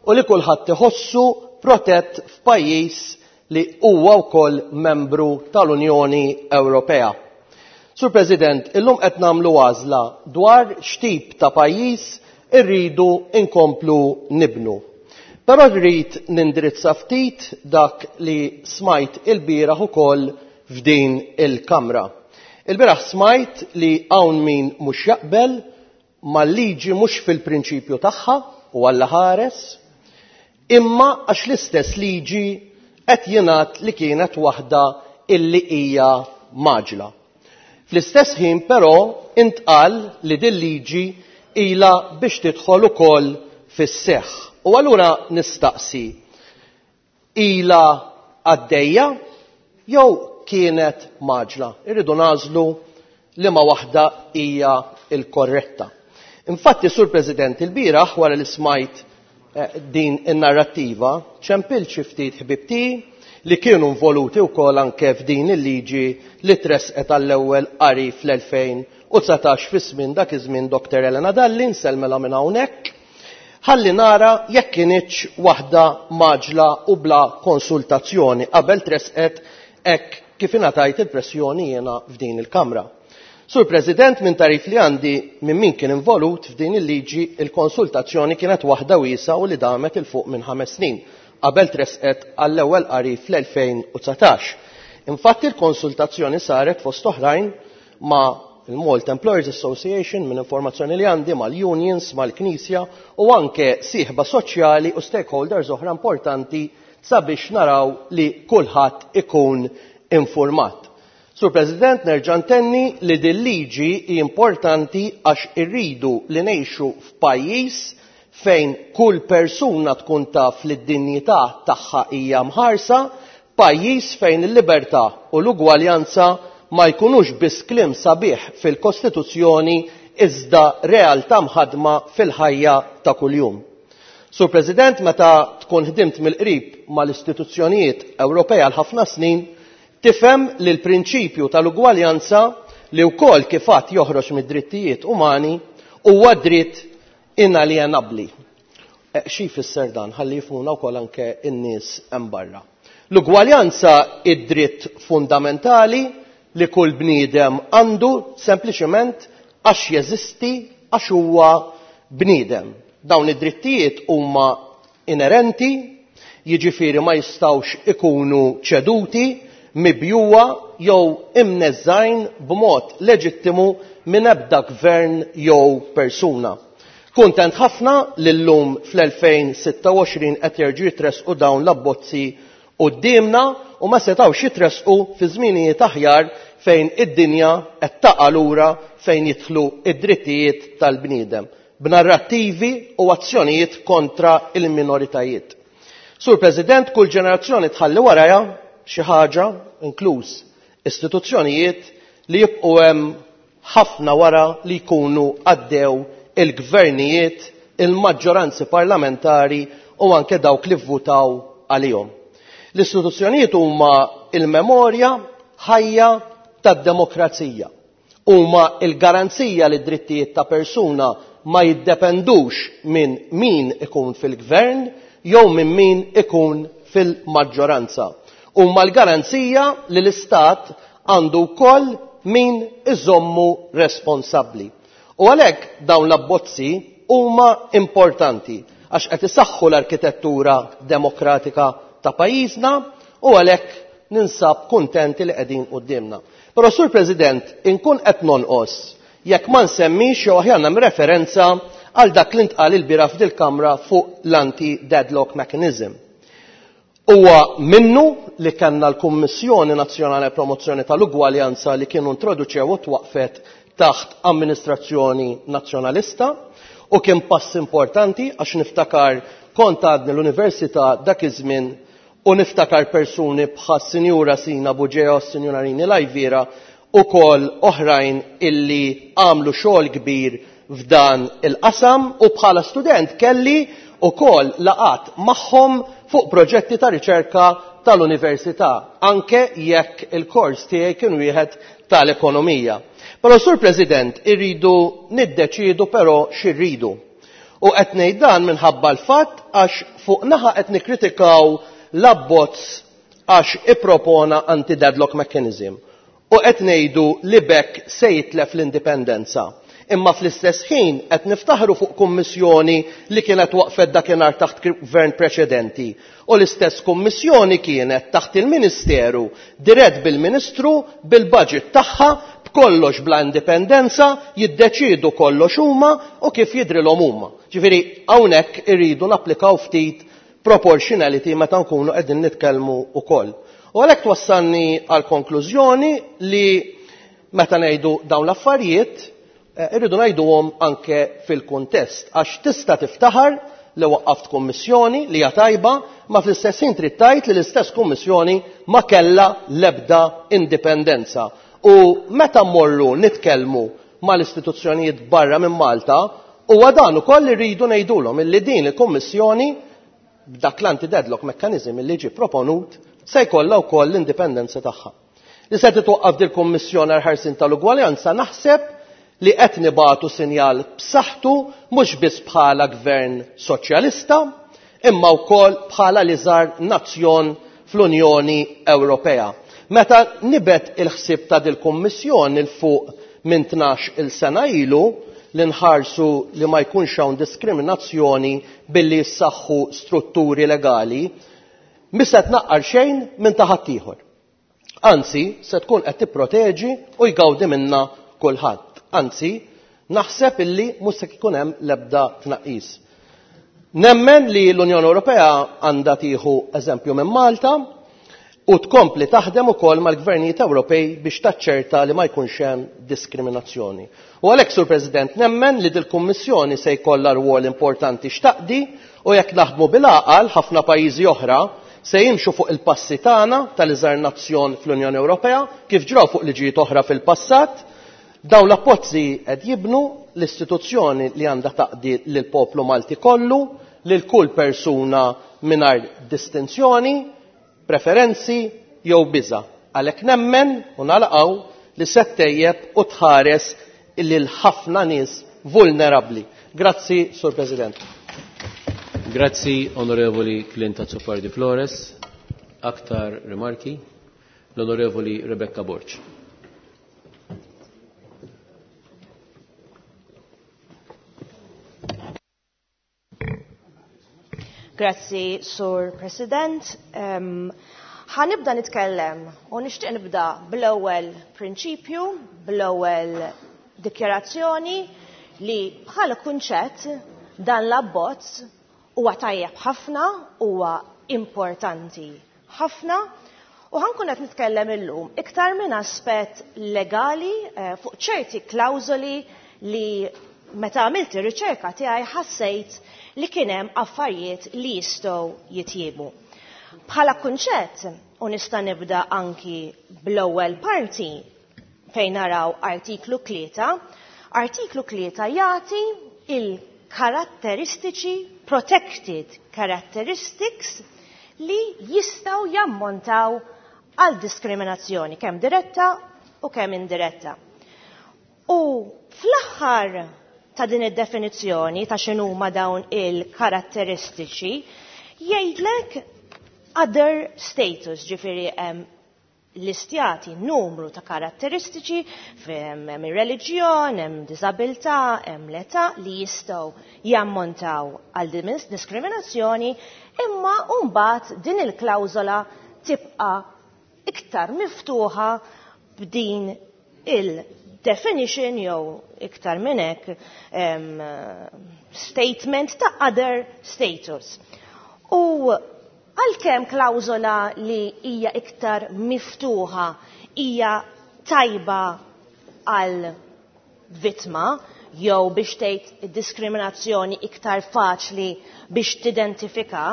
u li kulħadd iħossu protett f'pajjiż li huwa wkoll membru tal-Unjoni Ewropea. Sur President, illum qed nagħmlu għażla dwar x'tip ta' pajjiż irridu nkomplu nibnu. Però rrid nindirizza ftit dak li smajt ilbieraħ ukoll f'din il-Kamra. Ilbieraħ smajt li hawn min mhux jaqbel mal-liġi mhux fil-prinċipju tagħha u Alla ħares, imma għax l-istess liġi qed jingħad li kienet waħda illi hija mgħaġġla. Fl-istess ħin però intqal li din liġi ilha biex tidħol ukoll fis-seħħ. U allura nistaqsi, ilha għaddejja jew kienet mgħaġġla? Irridu nagħżlu liema waħda hija l-korretta. Infatti, Sur President, ilbieraħ wara li smajt din in-narrattiva, ċempilt xi ftit ħbieb tiegħi li kienu involuti wkoll anke f'din il-liġi li tressqet għall-ewwel qari fl-2019 fi żmien dak iż-żmien Dr. Elena Dalli, nsellmilha minn hawnhekk, ħalli nara jekk kinitx waħda mgħaġġla u bla konsultazzjoni qabel tressqet hekk kif ingħatajt il-pressjoni jiena f'din il-Kamra. Sur President, minn tagħrif li għandi minn min kien involut f'din il-liġi, il-konsultazzjoni kienet waħda wiesgħa u li damet 'il fuq minn 5 snin qabel tressqet għall-ewwel qari fl-2019. Infatti l-konsultazzjoni saret fost oħrajn ma' il-Malta Employers Association, minn informazzjoni li għandi, mal-unions, mal-Knisja u anke sieħba soċjali u stakeholders oħra importanti sabiex naraw li kulħadd ikun infurmat. Sur President, nerġa' ntenni li din liġi hi importanti għax irridu li ngħixu f'pajjiż fejn kull persuna tkun taf li d-dinjità tagħha hija mħarsa, pajjiż fejn il-libertà u l-ugwaljanza ma jkunux biss kliem sabiħ fil-Kostituzzjoni iżda realtà mħaddma fil-ħajja ta' kuljum. Sur President, meta tkun ħdimt mill-qrib mal-istituzzjonijiet Ewropej għal ħafna snin, tifhem li l-prinċipju tal-ugwaljanza li wkoll kif għad joħroġ mid-drittijiet umani huwa dritt inaljenabbli. Xi jfisser dan? Ħalli jifhmuna wkoll anke n-nies hemm barra. L-ugwaljanza hi dritt fundamentali li kull bniedem għandu sempliċement għax jeżisti, għax huwa bniedem. Dawn id-drittijiet huma inerenti, jiġifieri ma jistgħux ikunu ċeduti, mibjugħa jew imneżżgħin b'mod leġittimu minn ebda gvern jew persuna. Kuntent ħafna li llum fl-2026 qed jerġgħu jitressqu dawn l-abbozzi quddiemna u ma setgħux jitressqu fi żminijiet aħjar fejn id-dinja qed taqa' lura fejn jidħlu d-drittijiet tal-bniedem b'narrattivi u azzjonijiet kontra l-minoritajiet. Sur President, kull ġenerazzjoni tħalli warajha xi ħaġa, inkluż istituzzjonijiet, li jibqgħu hemm ħafna wara li jkunu għaddew il-gvernijiet, il-maġġoranzi parlamentari u anke dawk li vvutaw għalihom. L-istituzzjonijiet huma l-memorja ħajja tad-demokrazija. Huma l-garanzija li d-drittijiet ta' persuna ma jiddependux minn min ikun fil-gvern jew minn min ikun fil-maġġoranza. Huma l-garanzija li l-Istat għandu wkoll min iżommu responsabbli. U għalhekk dawn l-abbozzi huma importanti għax qed isaħħu l-arkitettura demokratika ta' pajjiżna u għalhekk ninsab kuntenti li qegħdin quddiemna. Però Sur President, inkun qed nonqos jekk ma nsemmix jew aħjar nagħmel referenza għal dak li ntqal ilbieraħ f'dil-Kamra fuq l-anti-deadlock mechanism. Huwa minnu li kellna l-Kummissjoni Nazzjonali għall-Promozzjoni tal-Ugwaljanza li kienu introduċew u twaqqfet taħt amministrazzjoni Nazzjonalista u kien pass importanti għax niftakar kont għadni l-università dak iż-żmien u niftakar persuni bħas-Sinjura Sina Bugeja u s-Sinjura Rini Lajviera ukoll oħrajn illi għamlu xogħol kbir f'dan il-qasam u bħala student kelli ukoll laqgħat magħhom fuq proġetti ta' riċerka tal-università, anke jekk il-kors tiegħi kien wieħed tal-ekonomija. Però Sur President, irridu niddeċiedu però x'irridu. U qed ngħid dan minħabba l-fatt għax fuq naħa qed nikkritikaw l-abbozz għax ippropona anti-deadlock mechanism u qed ngħidu li b'hekk se jitlef l-indipendenza. Imma fl-istess ħin qed niftaħru fuq kummissjoni li kienet waqfet dakinhar taħt gvern preċedenti u l-istess kummissjoni kienet taħt il-Ministeru dirett bil-Ministru bil-budget tagħha b'kollox bla indipendenza jiddeċiedu kollox huma u kif jidhrilhom huma. Ġifieri hawnhekk irridu napplikaw ftit proportionality meta nkunu qegħdin nitkellmu wkoll. U għalhekk twassalni għall-konklużjoni li meta ngħidu dawn l-affarijiet irridu ngħiduhom anke fil-kuntest għax tista' tiftaħar li waqqaft kummissjoni li hija tajba ma fl-istess ħin trid tgħid li l-istess kummissjoni ma kellha l-ebda indipendenza. U meta mmorru nitkellmu mal-istituzzjonijiet barra minn Malta huwa dan ukoll li rridu ngħidulhom illi din il-kummissjoni b'dak l-anti-deadlock mechanism illi ġie proponut se jkollha wkoll l-indipendenza tagħha. Li se titwaqqaf dil-Kummissjoni għall-Ħarsien tal-Ugwaljanza naħseb li qed nibagħtu sinjal b'saħħtu mhux biss bħala gvern soċjalista imma wkoll bħala l-iżgħar nazzjon fl-Unjoni Ewropea. Meta nibet il-ħsieb ta' dil-Kummissjoni 'l fuq minn 12-il sena ilu li nħarsu li ma jkunx hawn diskriminazzjoni billi jissaħħu strutturi legali, mhi se tnaqqar xejn minn ta' ħaddieħor. Anzi, se tkun qed tipproteġi u jgawdi minnha kulħadd. Anzi, naħseb illi mhux se jkun hemm l-ebda tnaqqis. Nemmen li l-Unjoni Ewropea għandha tieħu eżempju minn Malta u tkompli taħdem ukoll mal-gvernijiet Ewropej biex taċċerta li ma jkunx hemm diskriminazzjoni. U għalhekk, Sur President, nemmen li dil-Kummissjoni se jkollha rwol importanti x'taqdi u jekk naħdmu bil-għaqal ħafna pajjiżi oħra se jimxu fuq il-passi tagħna tal-iżgħar nazzjon fl-Unjoni Ewropea kif ġraw fuq liġijiet oħra fil-passat. Dawn l-appozzi qed jibnu l-istituzzjoni li għandha taqdi lill-poplu Malti kollu, lil kull persuna mingħajr distinzjoni, preferenzi jew biża'. Għalhekk nemmen u nagħlaqgħu li se ttejjeb u tħares lil ħafna nies vulnerabbli. Grazzi, Sur President. Grazzi, Onorevoli Clint Azzopardi Flores. Aktar rimarki? L-Onorevoli Rebecca Borg. Grazzi, Sur President. Ħa nibda nitkellem u nixtieq nibda bl-ewwel prinċipju, bl-ewwel dikjarazzjoni li bħala kunċett dan l-abbozz huwa tajjeb ħafna, huwa importanti ħafna u ħankun qed nitkellem illum iktar minn aspett legali fuq ċerti klawżoli li meta għamilt ir-riċerka tiegħi ħassejt li kien hemm affarijiet li jistgħu jitjiebu. Bħala kunċett, u nista' nibda anki bl-ewwel parti fejn naraw artiklu 3, artiklu 3 jagħti il-karatteristiċi, protected characteristics, li jistgħu jammontaw għal diskriminazzjoni, kemm diretta u kemm indiretta. U fl-aħħar ta' din id-definizzjoni ta' x'inhuma dawn il-karatteristiċi, jgħidlek other status, ġifieri hemm listjati numru ta' karatteristiċi hemm ir-reliġjon, hemm diżabilità, hemm l-età li jistgħu jammontaw għal diskriminazzjoni, imma mbagħad din il-klawżola tibqa' iktar miftuħa b'din il-definition jew iktar minn hekk statement ta' other status. U għalkemm klawżola li hija iktar miftuħa hija tajba għal vittma jew biex tgħid diskriminazzjoni iktar faċli biex tidentifika,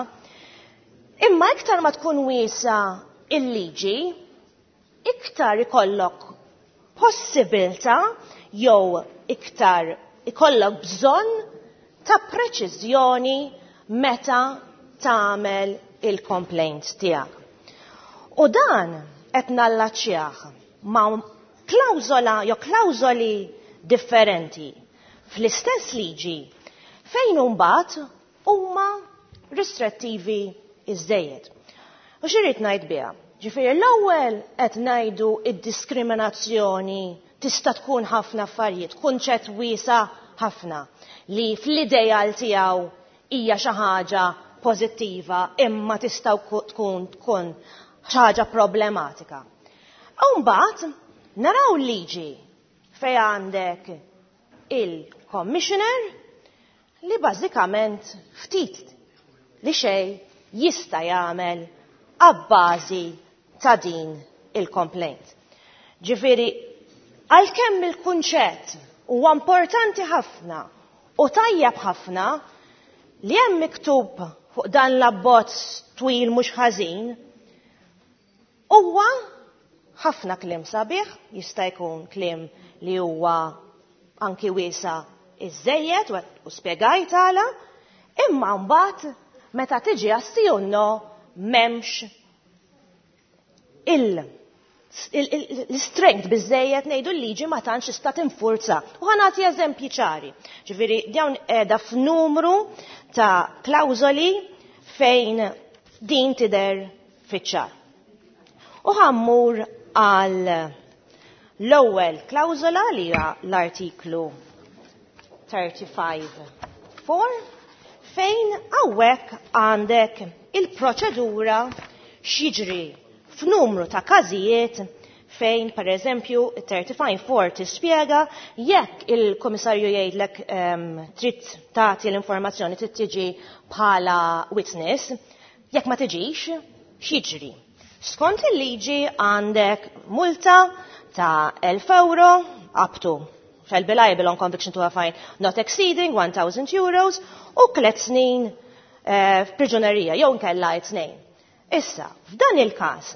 imma iktar ma tkun wiesa il-liġi, iktar ikollok possibilità jew iktar ikollok bżonn ta' preċiżjoni meta tagħmel il-complaint tiegħek. U dan qed nallaċjah ma' klawżola jew klawżoli differenti fl-istess liġi fejn imbagħad huma ristrettivi iżejjed. U x'irrid ngħid biha? Ġifieri l-ewwel qed ngħidu id-diskriminazzjoni tista' tkun ħafna affarijiet, kunċett wiesa' ħafna li fl-ideal tiegħu hija xi ħaġa pożittiva imma tista' tkun xi ħaġa problematika. U mbagħad naraw liġi fejn għandek il-commissioner li bażikament ftit li xejn jista' jagħmel abbażi ta' din il-complaint. Ġifieri, għalkemm il-kunċett huwa importanti ħafna u tajjeb ħafna li hemm miktub fuq dan l-abbozz twil mhux ħażin, huwa ħafna kliem sabiħ, jista' jkun kliem li huwa anki wiesa iżejjed u spjegajt għala, imma mbagħad meta tiġi għas-sijunno m'hemmx l-strength biżejjed ngħidu l-liġi ma tantx tista' tinfurza. U ħa nagħti eżempji ċari. Ġifieri dawn qiegħda f'numru ta' klawżoli fejn din tidher fiċ-ċar. U ħammur għal l-ewwel klawżola li hija l-artiklu 35.4 fejn hawnhekk għandek il-proċedura x'jiġri f'numru ta' każijiet Fejn, per eżempju, 35.4 tispjega jekk il-komissarju jgħidlek trid tagħti l-informazzjoni, trid tiġi bħala witness, jekk ma tiġix, x'jiġri? Skont il-liġi għandek multa ta' 1,000 euro up to shall be liable on conviction to a fine not exceeding 1,000 euros u 3 snin f'priġunerija jew nkella 2. Issa, f'dan il-każ,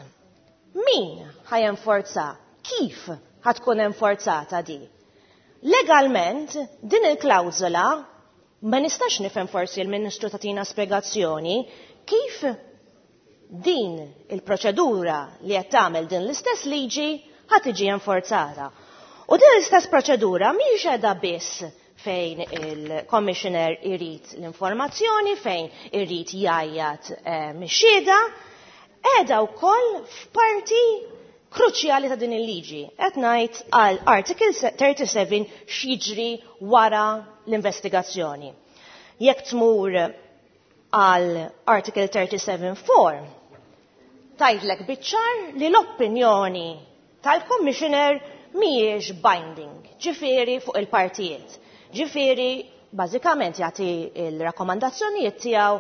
min ħajenforza? Kif ħatkun enforzata di? Legalment, din il-klawżola ma nistax nifhem, forsi l-Ministru tatina spjegazzjoni kif din il-proċedura li qed tagħmel din l-istess liġi ħa tiġi enforzata. U din l-istess proċedura mhix qiegħda biss fejn il-commissioner irid l-informazzjoni, fejn irid jgħajjat mix-xhieda, qiegħda wkoll f'parti kruċjali ta' din il-liġi. Qed ngħid għal Article 37, x'jiġri wara l-investigazzjoni. Jekk tmur għal Article 37.4, tgħidlek biċ-ċar li l-opinjoni tal-commissioner mhijiex binding, ġifieri fuq il-partijiet. Ġifieri, bażikament jagħti il-rakkomandazzjonijiet tiegħu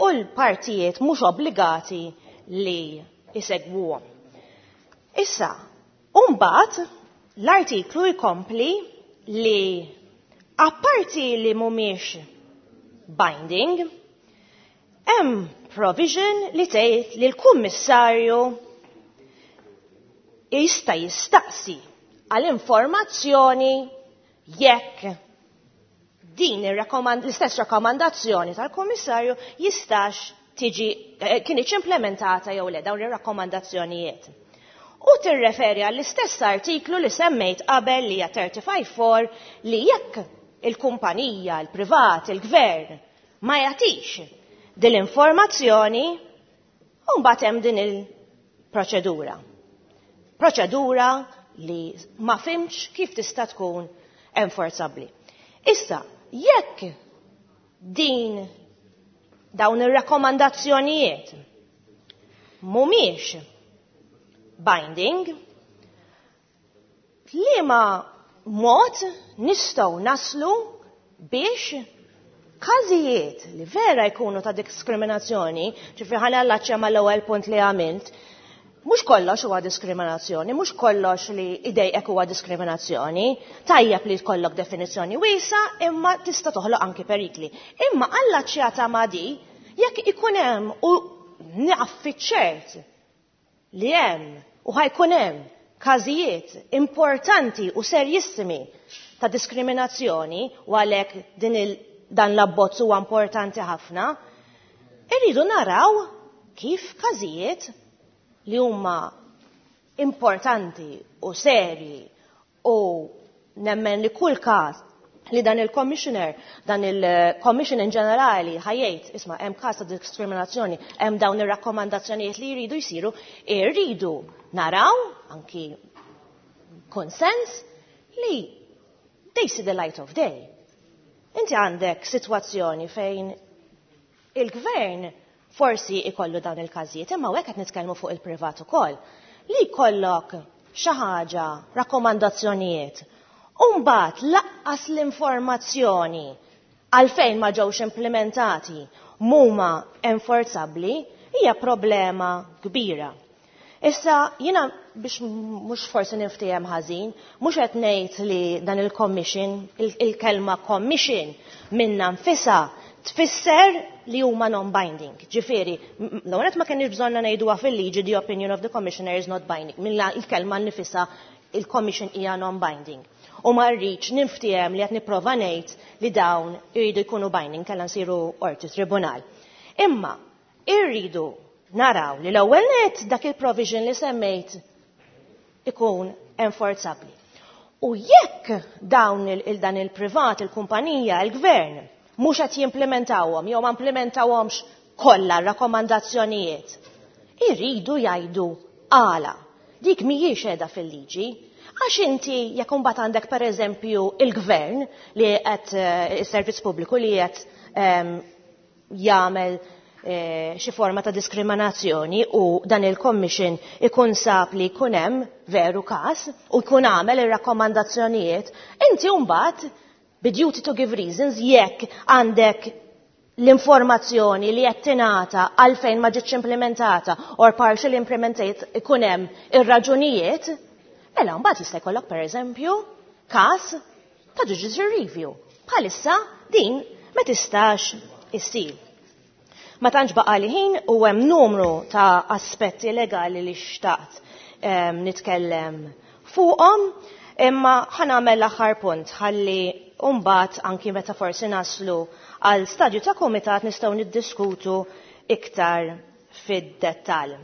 u l-partijiet mhux obbligati li jsegwuhom. Issa, mbagħad l-artiklu jkompli li apparti li mhumiex binding, hemm provision li tgħid li l-kummissarju jista' jistaqsi għal informazzjoni jekk din l-istess rakkomandazzjoni tal-kummissarju jistax tiġi kienieċ implementata jew le, dawn ir-rakkomandazzjonijiet. U tirreferi għall-istess artiklu li semmejt qabel, li hija 35.4, li jekk il-kumpanija, il-privat, il-gvern ma jagħtix din l-informazzjoni, u mbagħad hemm din il-proċedura. Proċedura li ma fhimtx kif tista' tkun enforzabbli. Issa, jekk din dawn ir-rakkomandazzjonijiet mhumiex binding, liema mod nistgħu naslu biex każijiet li vera jkunu ta' diskriminazzjoni, ġifieri ħa nallaċċja mal-ewwel punt li għamilt, mhux kollox huwa diskriminazzjoni, mhux kollox li idejqek huwa diskriminazzjoni, tajjeb li jkollok definizzjoni wiesgħa, imma tista' toħloq anki perikli. Imma allaċċjata ma' di, jekk ikun hemm, u naf ċert li hemm u ħa jkun hemm każijiet importanti u serjissimi ta' diskriminazzjoni, u għalhekk din il dan l-abbozz huwa importanti ħafna, irridu naraw kif każijiet li huma importanti u serji, u nemmen li kull każ li dan il-commissioner, dan il-commission in ġenerali ħa jgħid, "Isma', hemm każ ta' diskriminazzjoni, hemm dawn ir-rakkomandazzjonijiet li jridu jsiru", irridu naraw anki konsens li they see the light of day. Inti għandek sitwazzjoni fejn il-gvern forsi ikollu dawn il-każijiet, imma hekk qed nitkellmu fuq il-privat ukoll. Li jkollok xi ħaġa, rakkomandazzjonijiet, u mbagħad lanqas l-informazzjoni għalfejn ma ġewx implementati mhuma enforzabbli, hija problema kbira. Issa, jiena biex mhux forsi niftiehem ħażin, mhux qed ngħid li dan il-commission, il-kelma commission minnha nfisha tfisser li huma non-binding. Ġifieri, l-għonet ma kienx bżonna ngħiduha fil-liġi "the opinion of the commissioner is not binding". Minn il-kelma nfisha il-commission hija non-binding. U ma rridx niftiehem li qed nipprova ngħid li dawn iridu jkunu binding, kellha nsiru qorti tribunal. Imma irridu naraw li l-ewwel net dak il-provision li semmejt ikun enforzabbli. U jekk dawn il dan il-privat, il-kumpanija, il-gvern, mhux qed jimplementawhom jew ma implementawhomx kollha rakkomandazzjonijiet, irridu jgħidu għala. Dik mhijiex qiegħda fil-liġi. Għax inti jekk imbagħad għandek, pereżempju, il-gvern li qed is-servizz pubbliku li qed jagħmel xi forma ta' diskriminazzjoni u dan il-commission ikun sab li jkun hemm veru każ u jkun għamel ir-rakkomandazzjonijiet, inti mbagħad bi duty to give reasons jekk għandek l-informazzjoni li qed tingħata għalfejn ma ġietx implementata or partially implemented ikun hemm ir-raġunijiet, mela mbagħad jista' jkollok pereżempju każ ta' judicial review. Bħalissa din ma tistax issir. Ma tantx baqa' li ħin u hemm numru ta' aspetti legali li xtaqt nitkellem fuqhom, imma ħa nagħmel l-aħħar punt ħalli mbagħad anki meta forsi naslu għal stadju ta' kumitat nistgħu niddiskutu iktar fid-dettall.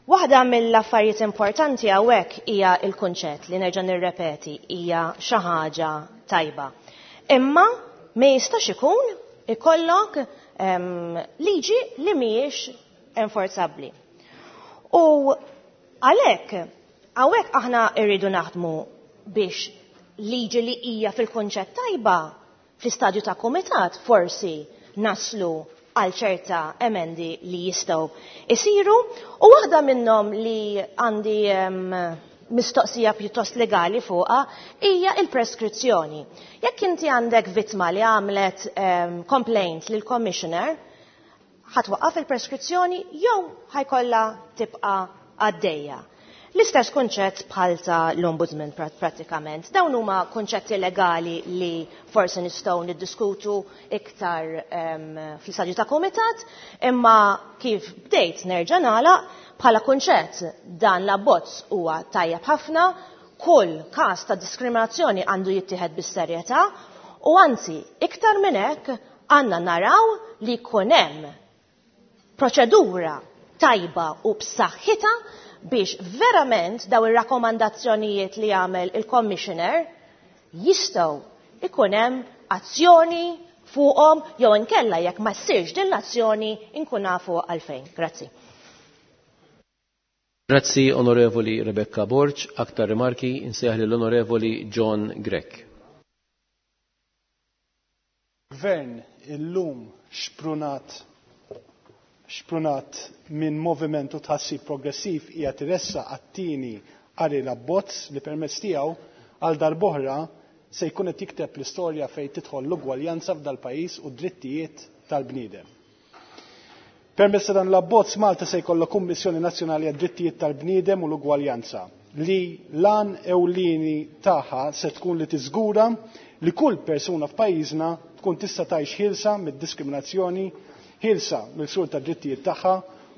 Waħda mill-affarijiet importanti hawnhekk hija l-kunċett li nerġa' nirrepeti hija xi ħaġa tajba. Imma ma jistax ikun ikollok liġi li mhijiex enforzabbli. U għalhekk hawnhekk aħna rridu naħdmu biex liġi li hija fil-kunċett tajba fl-istadju ta' kumitat forsi naslu għal ċerta emendi li jistgħu isiru, u waħda minnhom li għandi mistoqsija pjuttost legali fuqha hija il-preskrizzjoni. Jekk inti għandek vittma li għamlet complaint lil commissioner, ħatwaqqaf il-preskrizzjoni jew ħajkollha tibqa' għaddejja. L-istess kunċett bħal ta' l-ombudsman pratikament. Dawn huma kunċetti legali li forsi nistgħu niddiskutu iktar fl-istadju ta' kumitat, imma kif bdejt nerġa' nagħlaq bħala kunċett dan l-abbozz huwa tajjeb ħafna, kull każ ta' diskriminazzjoni għandu jittieħed bis-serjetà u anzi iktar minn hekk għandna naraw li jkun hemm proċedura tajba u b'saħħitha biex verament daw ir-rakkomandazzjonijiet li jagħmel il-commissioner jistgħu ikun hemm azzjoni fuqhom jew inkella jekk ma ssirx din l-azzjoni inkun nafu għalfejn. Grazzi. Grazzi Onorevoli Rebecca Borg, aktar rimarki insejjaħ lill-Onorevoli John Grech. Gvern illum xprunat minn movimentu tħassib progressiv hija tiressa għat-tieni qari l-abbozz li permezz tiegħu għal darb'oħra se jkun qed jikteb l-istorja fejn tidħol l-ugwaljanza f'dal-pajjiż u d-drittijiet tal-bniedem. Permezz ta' dan l-abbozz Malta se jkollha Kummissjoni Nazzjonali għad-Drittijiet tal-Bniedem u l-Ugwaljanza li lan ewlieni tagħha se tkun li tiżgura li kull persuna f'pajjiżna tkun tista' tgħix ħielsa mid-diskriminazzjoni, ħielsa mill-ksur tad-drittijiet tagħha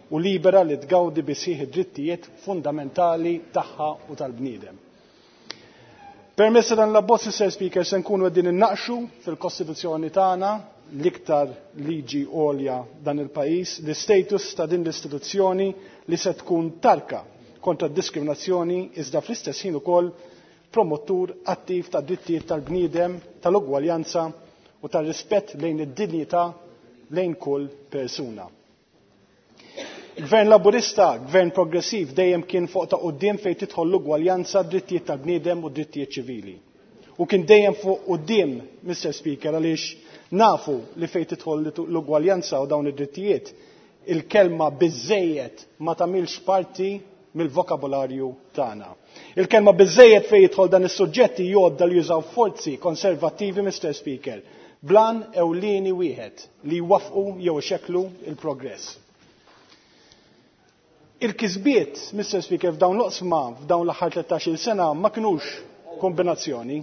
u libera li tgawdi bisħieħ id-drittijiet fundamentali tagħha u tal-bniedem. Permezz ta' dan l-abbozz, Sir Speaker, se nkunu qegħdin innaqxu fil-Kostituzzjoni tagħna l-iktar liġi għolja dan il-pajjiż, l-istatus ta' din l-istituzzjoni li se tkun tarka kontra d-diskriminazzjoni iżda fl-istess ħin ukoll promottur attiv ta' drittijiet tal-bniedem, tal-ugwaljanza u tal-rispett lejn id-dinjità lejn kull persuna. Il-Gvern Laburista, Gvern Progressiv, dejjem kien fuq ta' quddiem fejn tidħol l-ugwaljanza, drittijiet tal-bniedem u drittijiet ċivili. U kien dejjem fuq quddiem, Mr. Speaker, għaliex nafu li fejn tidħol l-ugwaljanza u dawn id-drittijiet, il-kelma biżżejjed ma tagħmilx parti mill-vokabularju tagħna. Il-kelma biżżejjed fejn jidħol dan is-suġġetti jgħodda li jużaw forzi konservattivi, Mr. Speaker, blan ewlieni wieħed li jwaffqu jew ixekklu il-progress. Il-kisbiet, Mr. Speaker, f'dawn l-oqsma f'dawn l-aħħar 13-il sena ma kinux kombinazzjoni.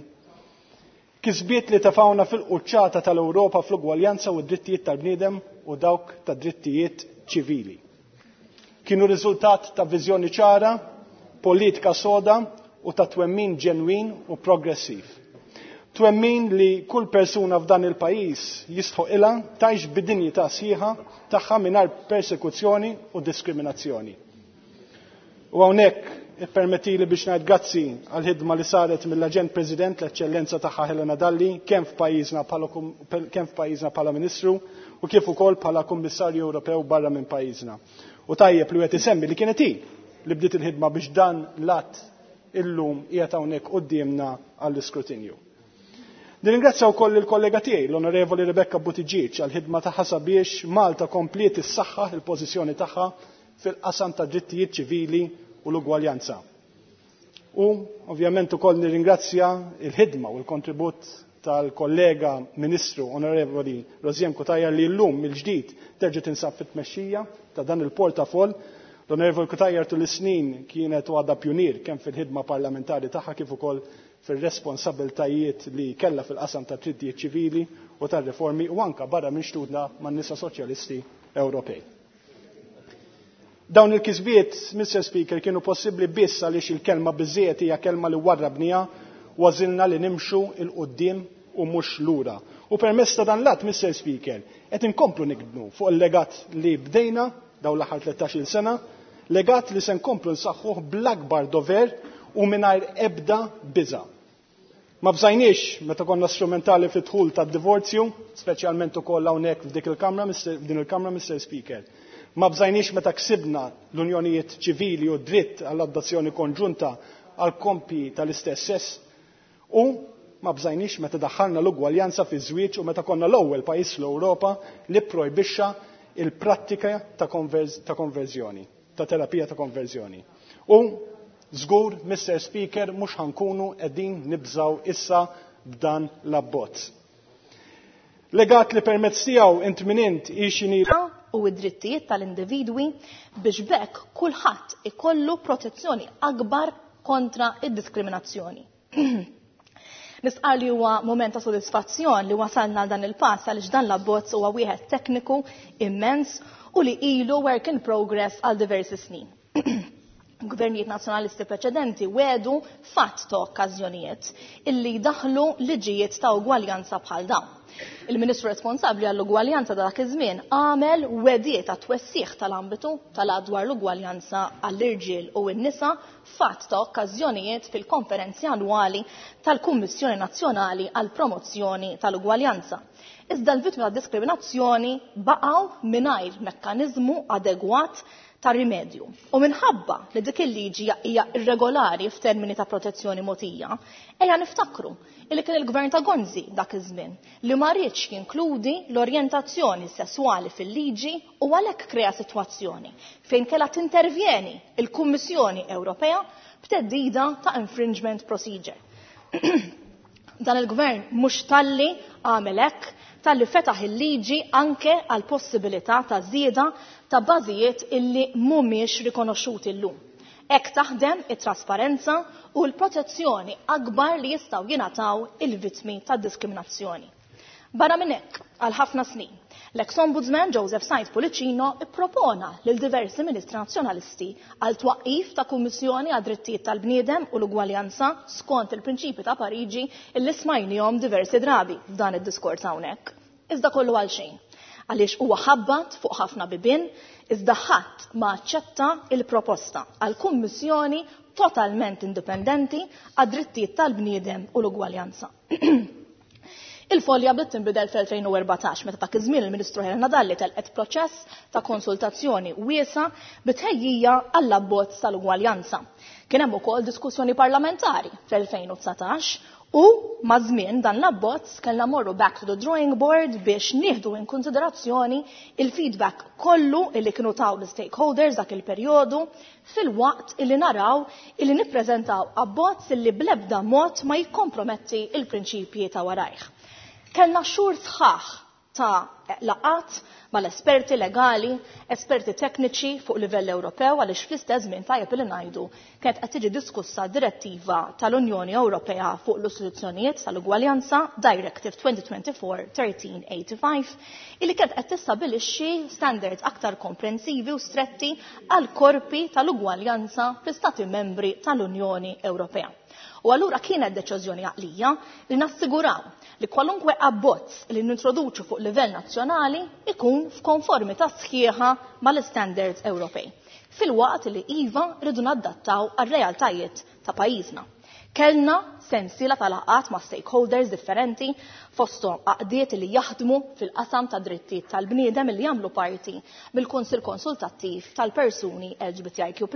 Kisbiet li tefgħuna fil-quċċata tal-Ewropa fl-ugwaljanza u d-drittijiet tal-bniedem u dawk ta' drittijiet ċivili. Kienu riżultat ta' viżjoni ċara, politika soda u ta' twemmin ġenwin u progressiv. Twemmin li kull persuna f'dan il-pajjiż jistħoqilha tgħix bid-dinjità sħiħa tagħha mingħajr persekuzzjoni u diskriminazzjoni. U hawnhekk ippermettili biex ngħid grazzi għall-ħidma li saret mill-Aġent President l-Eċċellenza tagħha Helena Dalli kemm f'pajjiżna bħala kemm f'pajjiżna bħala Ministru u kif ukoll bħala Kummissarju Ewropew barra minn pajjiżna. U tajjeb li wieħed isemmi li kienet hi li bdiet il-ħidma biex dan l-att illum qiegħed hawnhekk quddiemna għall-iskrutinju. Nirringrazzja wkoll il-kollega tiegħi, l-Onorevoli Rebecca Buttigieg, għall-ħidma tagħha sabiex Malta kompliet issaħħaħ il-pożizzjoni tagħha fil-qasam ta' drittijiet ċivili u l-ugwaljanza. U ovvjament ukoll nirringrazzja il-ħidma u l-kontribut tal-kollega Ministru Onorevoli Rosianne Cutajar li llum mill-ġdid terġa' tinsab fit-tmexxija ta' dan il-portafoll. L-Onorevoli Cutajar tul is-snin kienet u għadha pjunier kemm fil-ħidma parlamentari tagħha kif ukoll fir-responsabiltajiet li kellha fil-qasam ta' drittijiet ċivili u tar-riformi u anka barra minn xtutna man-nisa soċjalisti Ewropej. Dawn il-kisbiet, Mr. Speaker, kienu possibbli biss għaliex il-kelma biżżejjed hija kelma li warrabniha u għażilna li nimxu 'l quddiem u mhux lura. U permezz ta' dan l-att, Mr. Speaker, qed inkomplu nikbnu fuq il-legat li bdejna dawn l-aħħar 13-il sena, legat li se nkomplu nsaħħuh bl-akbar dover u mingħajr ebda biża'. Ma bżajniex meta konna strumentali fid-dħul tad-divorzju, speċjalment ukoll hawnhekk f'dik il-kamra, f'din il-kamra, Mr. Speaker. Ma bżajniex meta ksibna l-unjonijiet ċivili u dritt għall-adozzjoni konġunta għal koppji tal-istess sess u ma bżajniex meta daħħalna l-ugwaljanza fi żwieġ u meta konna l-ewwel pajjiż fl-Ewropa li projbixxa il-prattika ta' konverżjoni, ta' terapija ta' konverżjoni. U żgur, Mr. Speaker, mhux ħa nkunu qegħdin nibżgħu issa b'dan l-abbozz. Legat li permezz tiegħu int min int hi x'inhi u id-drittijiet tal-individwi biex b'hekk kulħadd ikollu protezzjoni akbar kontra id-diskriminazzjoni. Nistqar li huwa moment ta' sodisfazzjon li wasalna għal dan il-pass għaliex dan l-abbozz huwa wieħed tekniku immens u li ilu work in progress għal diversi snin. Gvernijiet nazzjonalisti preċedenti wedu f'għadd ta' okkażjonijiet illi jdaħlu liġijiet ta' ugwaljanza bħal dawn. Il-Ministru responsabbli għall-ugwaljanza dak iż-żmien għamel wegħdiet ta' twessiħ tal-ambitu tal-att dwar l-ugwaljanza għall-irġiel u n-nisa f'għadd ta' okkażjonijiet fil-konferenzi annwali tal-Kummissjoni Nazzjonali għall-Promozzjoni tal-Ugwaljanza. Iżda l-vittmi ta' diskriminazzjoni baqgħu mingħajr mekkaniżmu adegwat ta' rimedju. U minħabba li dik il-liġi hija irregolari f'termini ta' protezzjoni mogħtija, ejja niftakru li kien il-gvern ta' Gonzi dak iż-żmien li ma riedx jinkludi l-orjentazzjoni sesswali fil-liġi u għalhekk krea sitwazzjoni fejn kellha tintervjeni il-Kummissjoni Ewropea b'teddida ta' infringement procedure. Dan il-gvern mhux talli għamel hekk, talli fetaħ il-liġi anke għal possibilità ta' żieda ta' bażijiet illi mhumiex rikonoxxuti llum. Hekk taħdem it-trasparenza u l-protezzjoni akbar li jistgħu jingħataw il-vittmi ta' diskriminazzjoni. Barra minn hekk, għal ħafna snin, l-ex-ombudsman Joseph Said Pullicino ippropona lil diversi ministri nazzjonalisti għal twaqqif ta' Kummissjoni għad drittijiet tal-bniedem u l-ugwaljanza skont il-prinċipi ta' Pariġi illi smajnihom diversi drabi f'dan id-diskors hawnhekk. Iżda kollu għal xejn. Għaliex huwa ħabbat fuq ħafna bibien, iżda ħadd ma aċċetta il-proposta għal kummissjoni totalment indipendenti għad drittijiet tal-bniedem u l-ugwaljanza. Il-folja bdiet tinbidel fl-2014 meta dak iż-żmien il-Ministru Helena Dalli telqet proċess ta' konsultazzjoni wiesa bi tħejjija għall-abbozz tal-ugwaljanza. Kien hemm ukoll diskussjoni parlamentari fl-2019 u maż-żmien dan l-abbozz kellna morru back to the drawing board biex nieħdu in konsiderazzjoni il-feedback kollu illi kienu taw l-stakeholders dak il-perjodu filwaqt illi naraw illi nippreżentaw abbozz illi bl-ebda mod ma jikkomprometti il-prinċipji ta' warajh. Kellna xhur sħaħ ta' laqgħat mal-esperti legali, esperti tekniċi fuq livell Ewropew għaliex fl-istess żmien tajjeb li ngħidu kienet qed tiġi diskussa direttiva tal-Unjoni Ewropea fuq l-istituzzjonijiet tal-ugwaljanza Directive 2024-1385 illi kienet qed tistabbilixxi standards aktar komprensivi u stretti għal korpi tal-ugwaljanza fl-Istati membri tal-Unjoni Ewropea. U allura kienet deċiżjoni għaqlija li nassiguraw li kwalunkwe abbozz li nintroduċu fuq livell nazzjonali ikun f'konformità sħiħa mal-standards Ewropej. Filwaqt li iva rridu nadattaw għar-realtajiet ta' pajjiżna. Kellna sensiela ta' laqgħat ma' stakeholders differenti fosthom għaqdiet li jaħdmu fil-qasam ta' drittijiet tal-bniedem li jagħmlu parti mill-Kunsill Konsultattiv tal-Persuni LGBTIQ+,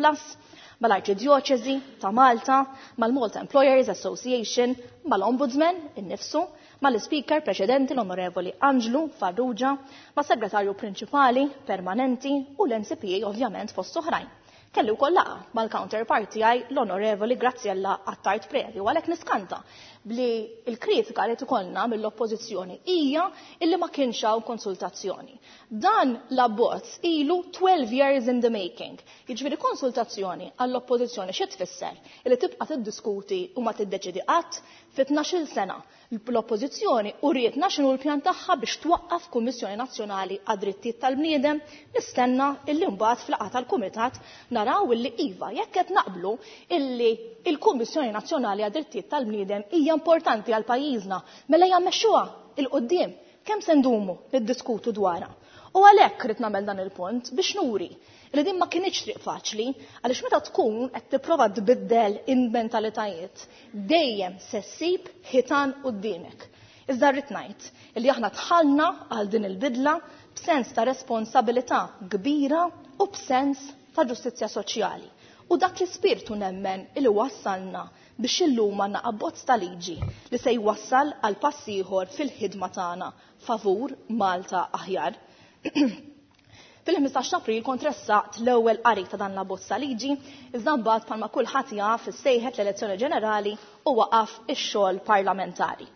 mal-Arċidjoċesi ta' Malta, mal-Malta Employers Association, mal-Ombudsman innifsu, mal-Ispeaker preċedenti l-Onorevoli Anġlu Farrugia, mas-Segretarju Prinċipali Permanenti u l-MCPA ovvjament fost oħrajn. Kelli wkoll laqgħa mal-counterpart tiegħi l-Onorevoli Graziella Attard Preti u għalhekk niskanta bli l-kritika li tkollna mill-Oppożizzjoni hija illi ma kienx hawn konsultazzjoni. Dan l-abbozz ilu 12 years in the making. Jiġifieri konsultazzjoni għall-Oppożizzjoni xi tfisser? Illi tibqa' tiddiskuti u ma tiddeċidi qatt? Fi tnax-il sena, l-Oppożizzjoni urietna x'inhu l-pjan tagħha biex twaqqaf Kummissjoni Nazzjonali għad-Drittijiet tal-Bniedem, nistenna illi mbagħad f'laqgħa tal-Kumitat naraw illi iva, jekk qed naqblu illi l-Kummissjoni Nazzjonali għad-Drittijiet tal-Bniedem hija importanti għal pajjiżna, mela ejja mmexxuha 'l quddiem. Kemm se ndumu niddiskutu dwarha? U għalhekk ridt nagħmel dan il-punt biex nuri li din ma kinitx triq faċli, għaliex meta tkun qed tipprova tbiddel il-mentalitajiet, dejjem se ssib ħitan quddiemek. Iżda rrid ngħid li aħna dħalna għal din il-bidla b'sens ta' responsabilità kbira u b'sens ta' ġustizzja soċjali. U dak l-ispirtu nemmen li wassalna biex illum għandna abbozz ta' liġi li se jwassal għal pass ieħor fil-ħidma tagħna favur Malta aħjar. Fil-15 ta' April kont ressaqt l-ewwel qari ta' dan l-abbozz ta' liġi, iżda mbagħad bħalma kulħadd jaf issejħet l-elezzjoni ġenerali u waqaf ix-xogħol parlamentari.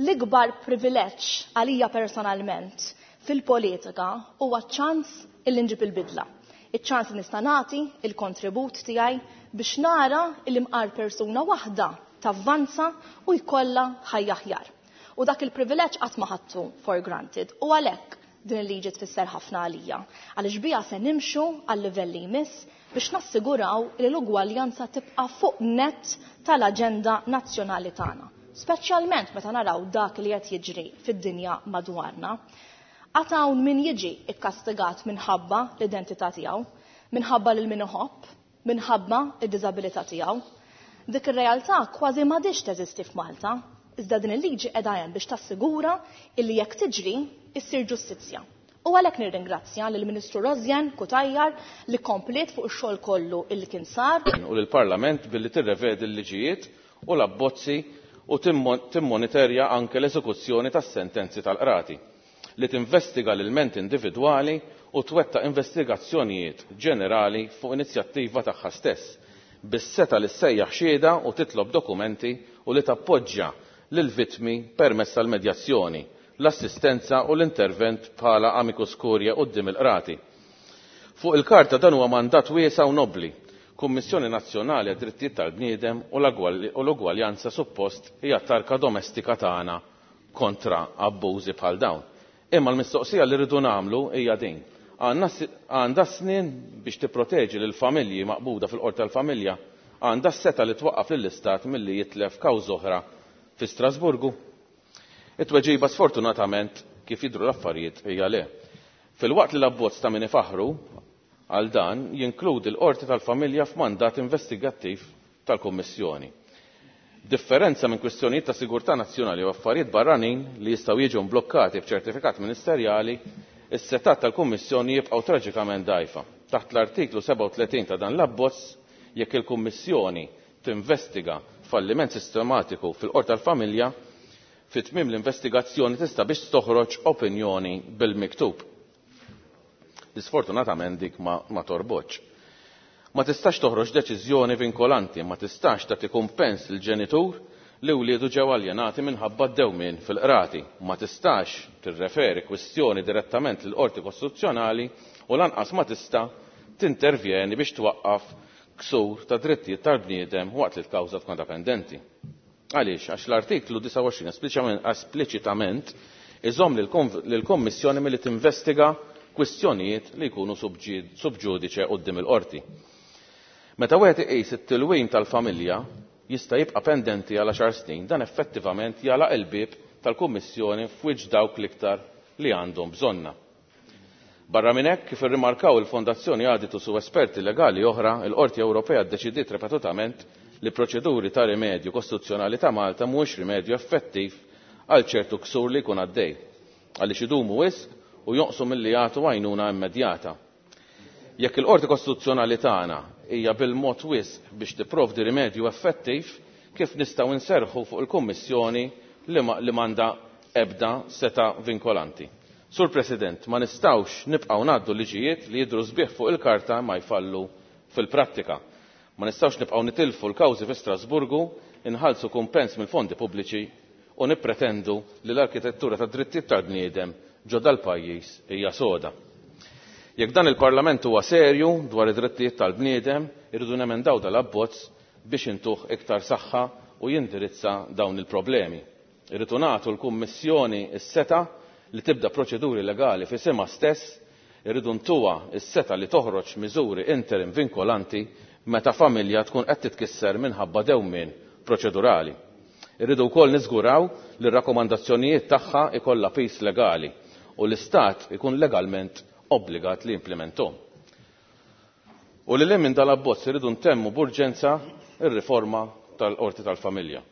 L-ikbar privileġġ għalija personalment fil-politika huwa ċ-ċans illi nġib il-bidla. Iċ-ċans li nista' nagħti il-kontribut tiegħi biex nara illi mqar persuna waħda tavvanza u jkollha ħajja aħjar. U dak il-privileġġ qatt ma ħadtu for granted u għalhekk din il-liġi tfisser ħafna għalija, għaliex biha se nimxu għal-livell li jmiss biex nassiguraw li l-ugwaljanza tibqa' fuq nett tal-aġenda nazzjonali tagħna, speċjalment meta naraw dak li qed jiġri fid-dinja madwarna. Għad hawn min jiġi kkastigat minħabba l-identità tiegħu, minħabba lil min iħobb, minħabba d-diżabilità tiegħu. Dik ir-realtà kważi m'għadhiex teżisti f'Malta, iżda din il-liġi qiegħda hemm biex tassigura illi jekk tiġri, issir ġustizzja. U għalhekk nirringrazzja lill-Ministru Rosianne Cutajar li kompliet fuq ix-xogħol kollu illi kien sar. U lill-Parlament billi tirrevedi l-liġijiet u l-abbozzi u timmoniterja anke l-eżekuzzjoni tas-sentenzi tal-qrati. li tinvestiga l-ilmenti individwali u twettaq investigazzjonijiet ġenerali fuq inizjattiva tagħha stess, bis-setgħa li ssejjaħ xhieda u titlob dokumenti u li tappoġġja lill-vittmi permezz tal-medjazzjoni, l-assistenza u l-intervent bħala amicus curiae quddiem il-qrati. Fuq il-karta dan huwa mandat wiesa' u nobbli. Kummissjoni Nazzjonali għad-Drittijiet tal-Bniedem u l-Ugwaljanza suppost hija t-tarka domestika tagħna kontra abbużi bħal dawn. Imma l-mistoqsija li rridu nagħmlu hija din, għandha s-snien biex tipproteġi lill-familji maqbuda fil-Qorti tal-Familja? Għandha s-setgħa li twaqqaf lill-Istat milli jitlef kawża oħra fi Strasburgu? It-tweġiba sfortunatament, kif jidhru l-affarijiet, hija le. Filwaqt li l-abbozz ta' min ifaħħru għal dan jinkludi l-Qorti tal-Familja f'mandat investigattiv tal-Kummissjoni. B'differenza minn kwistjonijiet ta' sigurtà nazzjonali u affarijiet barranin li jistgħu jiġu mblukkati b'ċertifikat ministerjali, is-setgħat tal-Kummissjoni jibqgħu traġikament dgħajfa. Taħt l-Artiklu 37 ta' dan l-abbozz, jekk il-Kummissjoni tinvestiga falliment sistematiku fil-Qorti tal-Familja, fi tmiem l-investigazzjoni tista' biss toħroġ opinjoni bil-miktub. Li sfortunatament dik ma, ma torbotx. Ma tistax toħroġ deċiżjoni vinkolanti, ma tistax tagħti kumpens lill-ġenitur li wliedu ġew aljenati minħabba d-dewmien fil-qrati, ma tistax tirreferi kwistjoni direttament lill-Qorti Kostituzzjonali u lanqas ma tista' tintervjeni biex twaqqaf ksur ta' drittijiet tal-bniedem waqt li l-kawża tkun għadha pendenti. Għaliex? Għax l-artiklu 29 espliċitament iżomm lill-Kummissjoni milli tinvestiga kwistjonijiet li jkunu sub ġudice quddiem il-qorti. Meta wieħed iqis it-tilwim tal-familja jista' jibqa' pendenti għal għaxar snin, dan effettivament jagħlaq il-bieb tal-Kummissjoni f'wiċċ dawk l-iktar li għandhom bżonnha. Barra minn hekk, kif irrimarkaw il-Fondazzjoni Aditus u esperti legali oħra, il-Qorti Ewropea ddeċidiet ripetutament li proċeduri ta' rimedju kostituzzjonali ta' Malta mhuwiex rimedju effettiv għal ċertu ksur li jkun għaddej, għaliex idumu wisq u jonqsu milli jagħtu għajnuna immedjata. Jekk il-Qorti Kostituzzjonali tagħna hija bil-mod wisq biex tipprovdi rimedju effettiv, kif nistgħu nserrħu fuq il-Kummissjoni li m'għandha ebda setgħa vinkolanti. Sur President, ma nistgħux nibqgħu ngħaddu liġijiet li jidhru sbieħ fuq il-karta ma jfallu fil-prattika. Ma nistgħux nibqgħu nitilfu l-kawżi fi Strasburgu, inħallsu kumpens mill-fondi pubbliċi u nippretendu li l-arkitettura tad-drittijiet tal-bniedem ġo dal-pajjiż hija soda. Jekk dan il-Parlament huwa serju dwar id-drittijiet tal-bniedem, irridu nemendaw dal-abbozz biex intuh iktar saħħa u jindirizza dawn il-problemi. Irridu nagħtu l-Kummissjoni s-setgħa li tibda proċeduri legali f'isimha stess, irridu ntuha s-setgħa li toħroġ miżuri interim vinkolanti meta familja tkun qed titkisser minħabba dewmien proċedurali. Irridu wkoll niżguraw li r-rakkomandazzjonijiet tagħha ikollha piż legali u l-Istat ikun legalment obbligat li jimplementhom. U lil hinn minn dal-abbozz irridu ntemmu b'urġenza r-riforma tal-Qorti tal-Familja.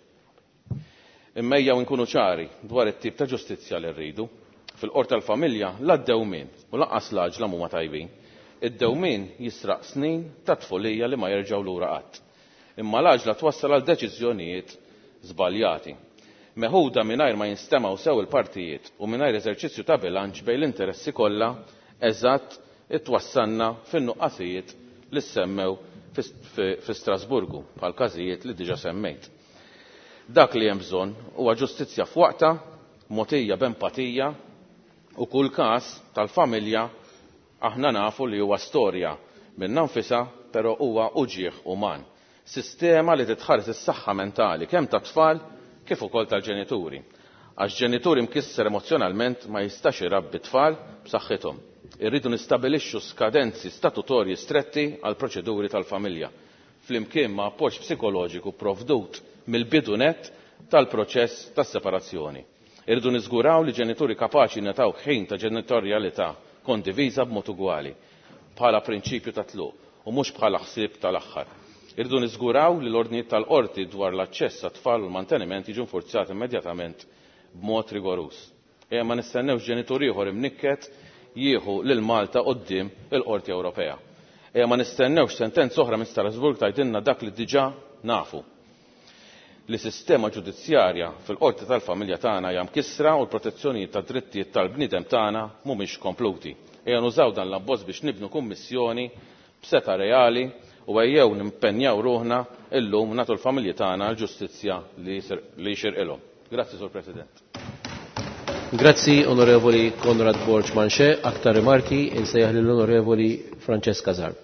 Imma ejjew inkunu ċari dwar it-tip ta' ġustizzja li rridu. Fil-Qorti tal-Familja la d-dewmien u lanqas l-għaġla mhuma tajbin. Id-dewmien jisraq snin ta' tfulija li ma jerġgħu lura qatt. Imma l-għaġla twassal għal deċiżjonijiet żbaljati. Meħuda mingħajr ma jinstemgħu sew il-partijiet u mingħajr eżerċizzju ta' bilanċ bejn l-interessi kollha eżatt twassalna fin-nuqqasijiet li ssemmew fi Strasburgu, bħal każijiet li diġà semmejt. Dak li hemm bżonn huwa ġustizzja f'waqtha, mogħtija b'empatija u kull każ tal-familja aħna nafu li huwa storja minnha nfisha però huwa uġigħ uman. Sistema li titħares is-saħħa mentali kemm tat-tfal kif ukoll tal-ġenituri. Għax ġenitur imkisser emozzjonalment ma jistax irabbi tfal b'saħħithom. Irridu nistabilixxu skadenzi statutorji stretti għall-proċeduri tal-familja, flimkien ma' appoġġ psikoloġiku pprovdut mill-bidu nett tal-proċess tas-separazzjoni. Irridu niżguraw li ġenituri kapaċi jingħataw ħin ta' ġenitorjalità kondiviża b'mod ugwali, bħala prinċipju ta' tluq u mhux bħala ħsieb tal-aħħar. Irridu niżguraw li l-ordnijiet tal-qorti dwar l-aċċess għat-tfal u l-manteniment jiġu nfurzati immedjatament b'mod rigoruż. Ejja ma nistennewx ġenitur ieħor imnikket jieħu lil Malta quddiem il-Qorti Ewropea. Ejja ma nistennewx sentenza oħra minn Strasbourg tgħidilna dak li diġà nafu, li sistema ġudizzjarja fil-qorti tal-familja tagħna hija mkissra u l-protezzjonijiet tad-drittijiet tal-bniedem tagħna mhumiex kompluti. Ejja nużaw dan l-abbozz biex nibnu Kummissjoni b'setgħa reali u ejjew nimpenjaw ruħna illum nagħtu l-familji tagħna l-ġustizzja li jixirqilhom. Grazzi, Sur President. Grazzi, Onorevoli Konrad Borg Manché. Aktar rimarki, insejjaħ lill-Onorevoli Francesca Zarb.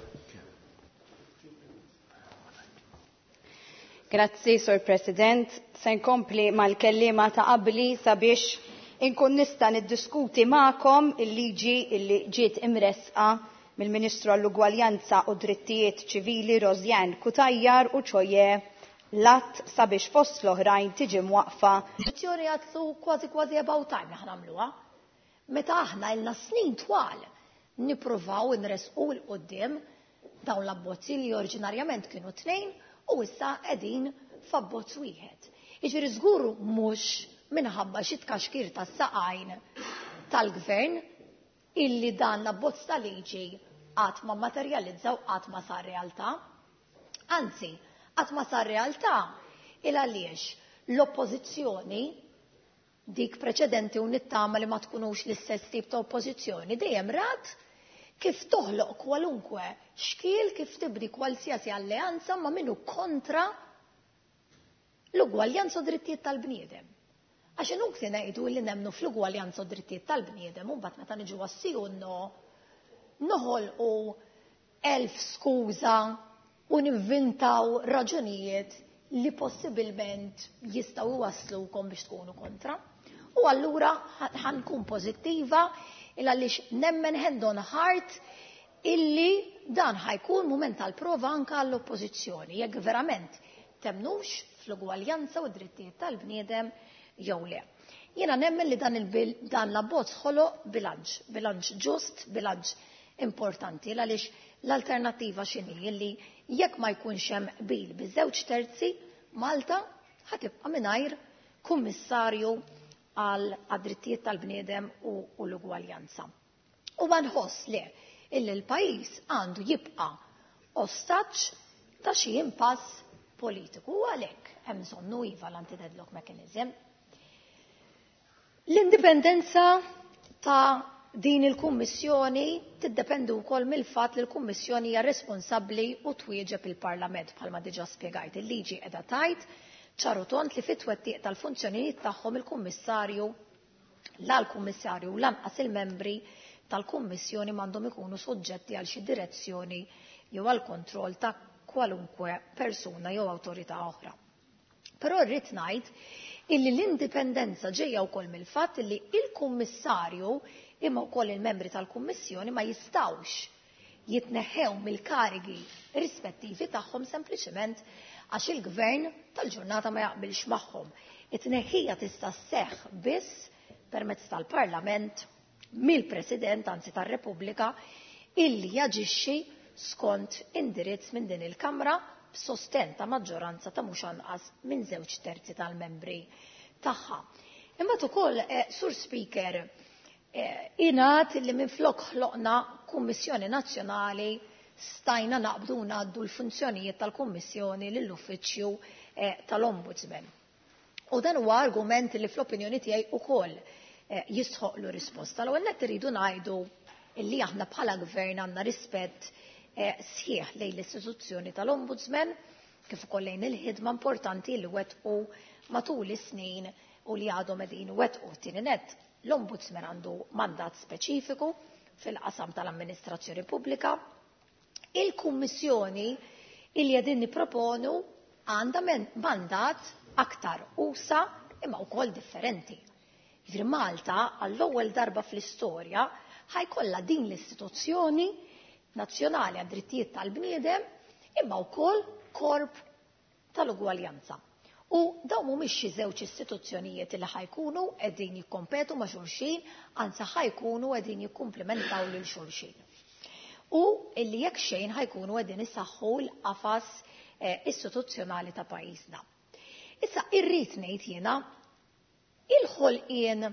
Grazzi, Sur President. Se nkompli mal-kelliema ta' qabli sabiex inkun nista' niddiskuti magħkom il-liġi li ġiet imressqa mill-Ministru għall-Ugwaljanza u Drittijiet Ċivili Rosianne Cutajar u ċoje l-att sabiex fost l-oħrajn tiġi mwaqfa. Azzjoni għadlu kważi kważi about time li ħnamluha. Meta aħna ilna snin twal nippruvaw inresqu 'l quddiem dawn l-abbozzi li oriġinarjament kienu tnejn u issa qegħdin f'abbozz wieħed. Jiġifieri żgur mhux minħabba xi tkaxkir tas-saqajn tal-gvern illi dan l-abbozz ta' liġi qatt ma mmaterjalizza u qatt ma sar realtà. Anzi, qatt ma sar realtà il għaliex l-oppożizzjoni dik preċedenti u nittama li ma tkunux l-istess tip ta' oppożizzjoni dejjem rat kif toħloq kwalunkwe xkiel, kif tibni kwalsiasi alleanza ma' min hu kontra l-ugwaljanza u drittijiet tal-bniedem. Għax inutli ngħidu li nemmnu fl-ugwaljanza u drittijiet tal-bniedem u mbagħad meta niġu għas-sì u n-no noħolqu elf skuża u nivvintaw raġunijiet li possibilment jistgħu iwasslukom biex tkunu kontra. U allura ħankun pożittiva il għaliex nemmen hand on heart illi dan ħajkun mument tal-prova anka għall-oppożizzjoni jekk verament temnux fl-ugwaljanza u d-drittijiet tal-bniedem jew le. Jiena nemmen li dan dan l-abbozz ħoloq bilanċ, bilanċ ġust, bilanċ importanti għaliex l-alternattiva x'inhi illi jekk ma jkunx hemm qbil biż-żewġ terzi Malta ħatibqa' mingħajr kummissarju għal drittijiet tal-bniedem u l-ugwaljanza. U ma nħoss le illi l-pajjiż għandu jibqa' ostaġġ ta' xi impass politiku u għalhekk hemm bżonnu iva l-anti-deadlock mechanism. L-indipendenza ta' din il-Kummissjoni tiddependi wkoll mill-fatt li l-Kummissjoni hija responsabbli u twieġeb il-Parlament bħalma diġà spjegajt. Il-liġi qiegħda tgħid ċar u tond li fit-twettiq tal-funzjonijiet tagħhom il-Kummissarju la l-Kummissarju u lanqas il-membri tal-Kummissjoni m'għandhom ikunu soġġetti għal xi direzzjoni jew għal kontroll ta' kwalunkwe persuna jew awtorità oħra. Però rrid ngħid illi l-indipendenza ġejja wkoll mill-fatt illi il-Kummissarju imma wkoll il-membri tal-Kummissjoni ma jistgħux jitneħħew mill-karigi rispettivi tagħhom sempliċement għax il-gvern tal-ġurnata ma jaqbilx magħhom. It-tneħħija tista' sseħħ biss permezz tal-Parlament mill-President, anzi tar-Repubblika, illi jaġixxi skont indirizz minn din il-Kamra b'sostenn ta' maġġoranza ta' mhux anqas minn 2/3 tal-membri tagħha. Imbagħad ukoll, Sur Speaker, ingħad li minflok ħloqna Kummissjoni Nazzjonali stajna naqbdu u ngħaddu l-funzjonijiet tal-Kummissjoni lill-Uffiċċju tal-Ombudsman. U dan huwa argument li fl-opinjoni tiegħi ukoll jistħoqlu risposta. L-ewwel nett irridu ngħidu illi aħna bħala gvern għandna rispett sħiħ lejn l-istituzzjoni tal-Ombudsman kif ukoll lejn il-ħidma importanti li wettqu matul is-snin u li għadhom qegħdin wettqu. Tieni nett, l-Ombudsman għandu mandat speċifiku fil-qasam tal-amministrazzjoni pubblika. Il-Kummissjoni illi qegħdin nipproponu għandha mandat aktar usa imma wkoll differenti. Jiġifieri Malta għall-ewwel darba fl-istorja ħajkollha din l-istituzzjoni nazzjonali għad-drittijiet tal-bniedem imma wkoll korp tal-ugwaljanza. U dawn mhumiex xi żewġ istituzzjonijiet li ħajkunu qegħdin jikkompetu ma' xulxin, anzi ħajkunu qegħdin jikkumplementaw lil xulxin. U illi jekk xejn ħajkunu qegħdin isaħħu l-qafas istituzzjonali ta' pajjiżna. Issa irrid ngħid jiena il-ħolqien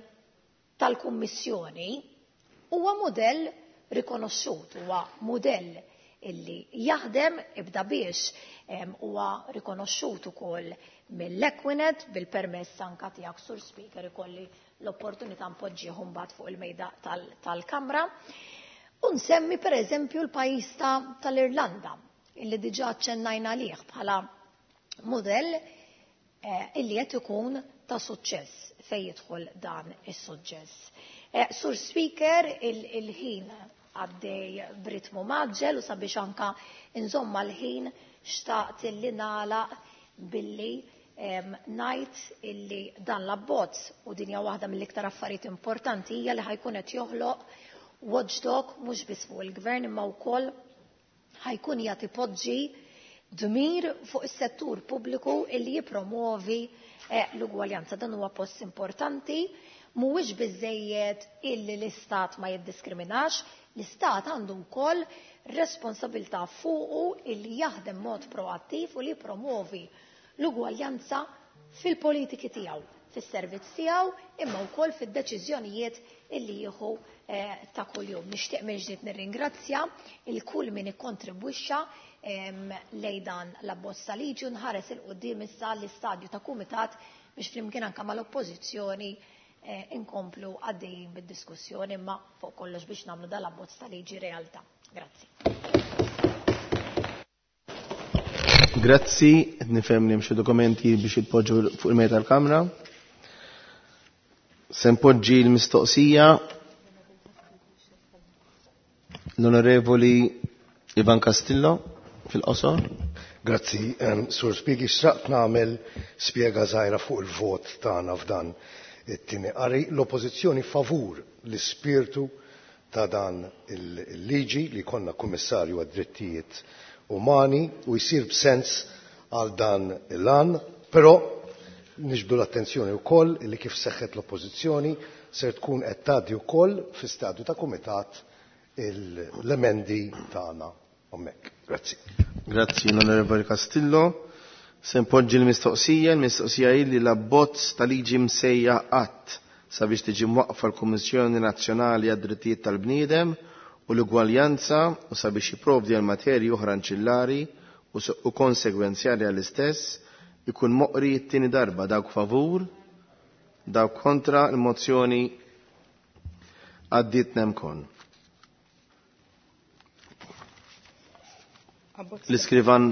tal-Kummissjoni huwa mudell rikonoxxut, huwa mudell illi jaħdem ibda biex huwa rikonoxxut ukoll mill-Equinet bil-permess anka tiegħek Sur Speaker ikolli l-opportunità npoġġih mbagħad fuq il-mejda tal-Kamra. U nsemmi pereżempju l-pajjiż tal-Irlanda illi diġà aċċennajna għalih bħala mudell illi qed ikun ta' suċċess fejn jidħol dan is-suġġess. Sur Speaker, il-ħin għaddej b'ritmu maġġel u sabiex anka nżomma l-ħin xtaqt illi nagħlaq billi ngħid illi dan l-abbozz u din hija waħda mill-iktar affarijiet importanti hija li ħajkun qed joħloq watchdog mhux biss fuq il-gvern imma wkoll ħajkun qiegħed ipoġġi dmir fuq is-settur pubbliku illi jippromovi l-ugwaljanza. Dan huwa post importanti, mhuwiex biżejjed illi l-istat ma jiddiskriminax, l-istat għandu wkoll responsabilità fuqu illi jaħdem mod proattiv u li jippromovi l-ugwaljanza fil-politiki tiegħu, fis-servizz tiegħu, imma wkoll fid-deċiżjonijiet illi jieħu ta' kuljum. Nixtieq minn ġdid nirringrazzja il kull min ikkontribwixxa lejn dan l-abbozz ta' liġi u nħares il quddiem issa l-istadju ta' kumitat biex flimkien anke mal-oppożizzjoni inkomplu għaddejjin bid-diskussjoni imma fuq kollox biex nagħmlu dan l-abbozz ta' liġi realtà. Grazzi. Grazzi, qed nifhem li hemm xi dokumenti biex jitpoġġu fuq il-mejda tal-Kamra. Se npoġġi l-mistoqsija l-Onorevoli Ivan Castillo fil-qosor. Grazzi, Sur Speaker, xtaqt nagħmel spjega żgħira fuq il-vot tagħna f'dan it-tieni qari. L-Oppożizzjoni favur l-ispirtu ta' dan il-liġi li konna kummissarju għad-drittijiet umani u jsir b'sens għal dan il-għan, però niġbdu l-attenzjoni wkoll li kif seħħet l-Oppożizzjoni ser tkun qed tgħaddi wkoll fi stadju ta' kumitat l-emendi tagħna hemmhekk. Grazzi. Grazzi l-Onorevoli Castillo. Se npoġġi l-mistoqsija, l-mistoqsija hi li l-abbozz ta' liġi msejjaħ qatt sabiex tiġi mwaqfa l-Kummissjoni Nazzjonali għad-Drittijiet tal-Bniedem u l-Ugwaljanza u sabiex jipprovdi għal materji oħra anċillari u konsegwenzjali għall-istess ikun moqri t-tieni darba. Dawk favur, Dawk kontra, il-mozzjoni għaddiet nemkon. L-iskrivan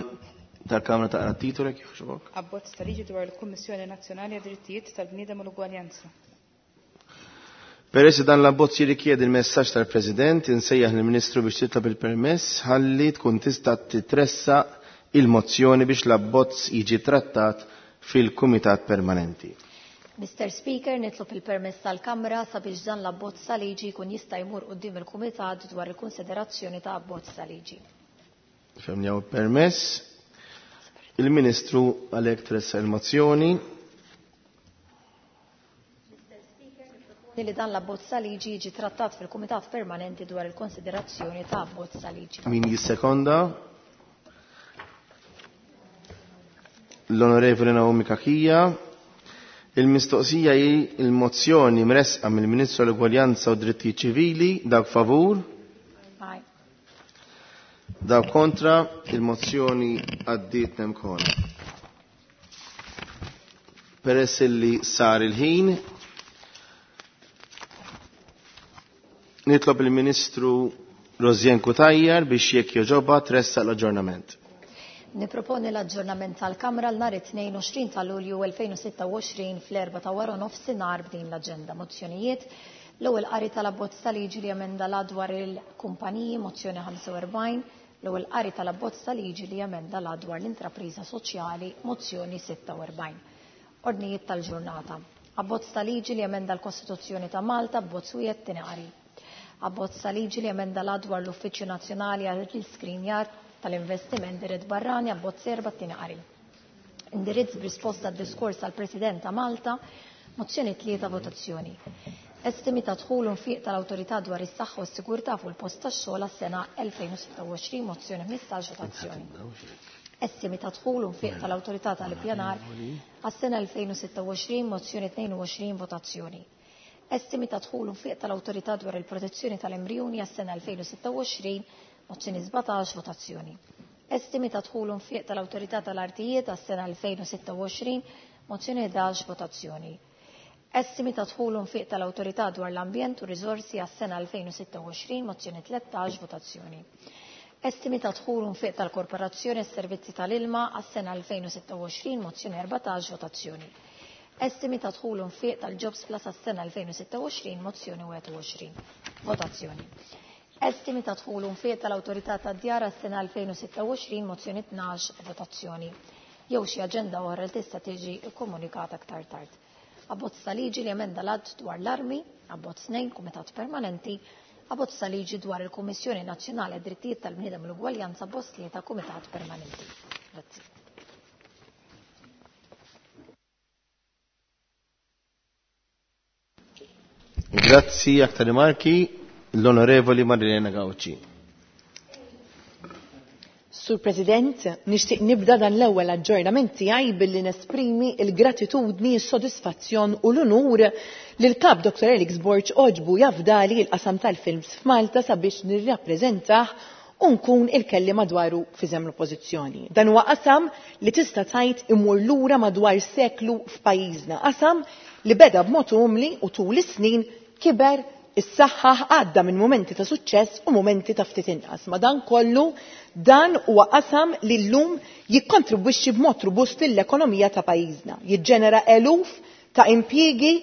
tal-Kamra taqra t-titolu jekk jogħġbok. Abbozz ta' liġi dwar il-Kummissjoni Nazzjonali għad-Drittijiet tal-Bniedem u l-Ugwaljanza. Peress li dan l-abbozz jirrikjedi l-messaġġ tal-President, insejjaħ lill-Ministru biex titlob il-permess ħalli tkun tista' titressaq il-mozzjoni biex l-abbozz jiġi trattat fil-Kumitat Permanenti. Mister Speaker, nitlob il-permess tal-Kamra sabiex dan l-abbozz ta' liġi jkun jista' jmur quddiem il-Kumitat dwar il-konsiderazzjoni ta' abbozz ta' liġi. Femni hawn permess. Il-Ministru għalhekk tressaq il-mozzjoni. Li dan l-abbozz ta' liġi jiġi trattat fil-Kumitat Permanenti dwar il-konsiderazzjoni ta' abbozz ta' liġi. Min jissekonda? L-Onorevoli Naomi Cachia. Il-mistoqsija hi il-mozzjoni mresqa mill-Ministru għall-Ugwaljanza u Drittijiet Ċivili, dawk favur? Aye. Dawk kontra, il-mozzjoni għaddiet nemkon. Peress li sar il-ħin, nitlob il-Ministru Rosianne Cutajar biex jekk joġoba tressaq l-aġġornament. Niproponi l-aġġornament tal-Kamra l-nhar it-22 ta' Lulju 2026 fl-4 ta' wara nofsinhar b'din l-aġenda. Mozzjonijiet, l-ewwel qari tal-abbozz ta' liġi li emenda la dwar il-kumpaniji, mozzjoni 45, l-ewwel qari tal-abbozz ta' liġi li emenda la dwar l-intrapriża soċjali, mozzjoni 46. Ordnijiet tal-ġurnata. Abbozz ta' liġi li emenda l-Kostituzzjoni ta' Malta, abbozz wieħed tieni qari. Abbozz ta' liġi li emenda la dwar l-Uffiċċju Nazzjonali għall-Iskrinjar tal-Investiment Dirett Barrani, abbozz erba' tieni qari. Indirizz b'risposta għad-diskors tal-President ta' Malta, mozzjoni 3 votazzjoni. Estimi ta' dħul u nfiq tal-Awtorità dwar is-saħħa u s-sigurtà fuq il-post tax-xogħol għas-sena 2026, mozzjoni 15 votazzjoni. Estimi ta' dħul u nfiq tal-Awtorità tal-Ippjanar għas-sena 2026, mozzjoni 22 votazzjoni. Estimi ta' dħul u nfiq tal-Awtorità dwar il-protezzjoni tal-embrjuni għas-sena 2026, mozzjoni 17 votazzjoni. Estimi ta' dħul u nfiq tal-Awtorità tal-Artijiet għas-sena 2026, mozzjoni 11 votazzjoni. Estimi ta' dħul u nfiq tal-Awtorità dwar l-Ambjent u Riżorsi għas-sena 2026, mozzjoni 13 votazzjoni. Estimi ta' dħul u nfiq tal-Korporazzjoni għas-Servizzi tal-Ilma għas-sena 2026, mozzjoni 14 votazzjoni. Estimi ta' dħul u nfiq tal-Jobs Plus għas-sena 2026, mozzjoni 21 votazzjoni. Estimi ta' dħul u nfiq tal-Awtorità tad-Djar għas-sena 2026, mozzjoni 12 votazzjoni. Jew xi aġenda oħra li tista' tiġi kkomunikata aktar tard. Abbozz ta' liġi li emenda l-att dwar l-armi, abbozz 2, Kumitat Permanenti, abbozz ta' liġi dwar il-Kummissjoni Nazzjonali għad-Drittijiet tal-Bniedem u l-Ugwaljanza, abbozz 3, Kumitat Permanenti. Grazzi. Grazzi, aktar rimarki, l-Onorevoli Marilena Gauci. Sur President, nixtieq nibda dan l-ewwel aġġornament tiegħi billi nesprimi l-gratitudni, s-sodisfazzjon u l-unur li l-Kap Dr. Alex Borg oġbu jafdali l-qasam tal-films f'Malta sabiex nirrappreżentah u nkun il-kelli madwaru fiżem l-oppożizzjoni. Dan huwa qasam li tista' tgħid imur lura madwar seklu f'pajjiżna, qasam li beda b'mod umli u tul is-snin kiber is-saħħa għadda minn momenti ta' suċċess u momenti ta' ftit inqas. Ma dan kollu dan huwa qasam li llum jikkontribwixxi b'mod robust lill-ekonomija ta' pajjiżna, jiġġenera eluf ta' impjiegi,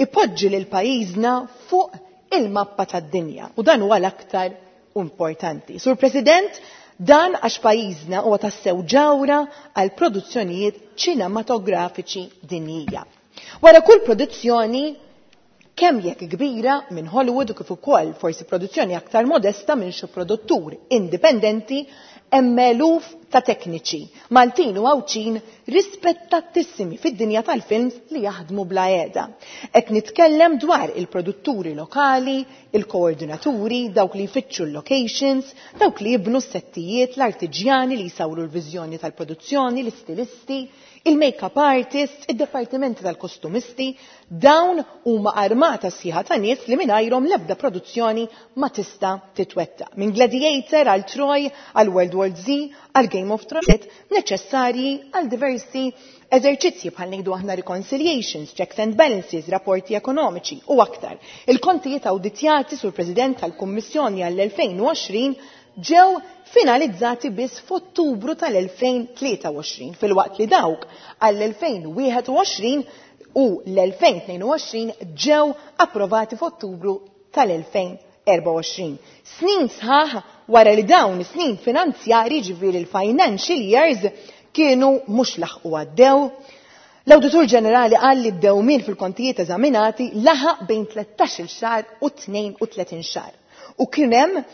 ipoġġi lil pajjiżna fuq il-mappa tad-dinja. U dan huwa l-aktar importanti. Sur President, dan għax pajjiżna huwa tassew ġawra għal produzzjonijiet ċinematografiċi dinjija. Wara kull produzzjoni, kemm jekk kbira minn Hollywood u kif ukoll forsi produzzjoni aktar modesta minn xi produttur indipendenti, hemm eluf ta' tekniċi Maltin u Għawdxin rispettattissimi fid-dinja tal-films li jaħdmu bla qiegħda. Qed nitkellem dwar il-produtturi lokali, il-koordinaturi, dawk li jfittxu l-locations, dawk li jibnu s-settijiet, l-artiġjani li jsawru l-viżjoni tal-produzzjoni, l-istilisti, il-make-up artists, id-departimenti tal-kostumisti, dawn huma armata sħiħa ta' nies li mingħajrhom l-ebda produzzjoni ma tista' titwettaq. Minn Gladiator għal Troy, għal World War World Z, għal Game of Thrones, neċessarji għal diversi eżerċizzji bħal ngħidu aħna reconciliations, checks and balances, rapporti ekonomiċi u aktar. Il-kontijiet awditjati sur President tal-Kummissjoni għall-2020 ġew finalizzati biss f'Ottubru tal-2023 filwaqt li dawk għall-2021 u l-2022 ġew approvati f'Ottubru tal-2024. Snin sħaħ wara li dawn is-snin finanzjari ġifieri l-financial years kienu mhux laħqu għaddew. L-Awditur Ġenerali qal li d-dewmien fil-kontijiet eżaminati laħaq bejn 13-il xahar u 32 xahar u kien hemm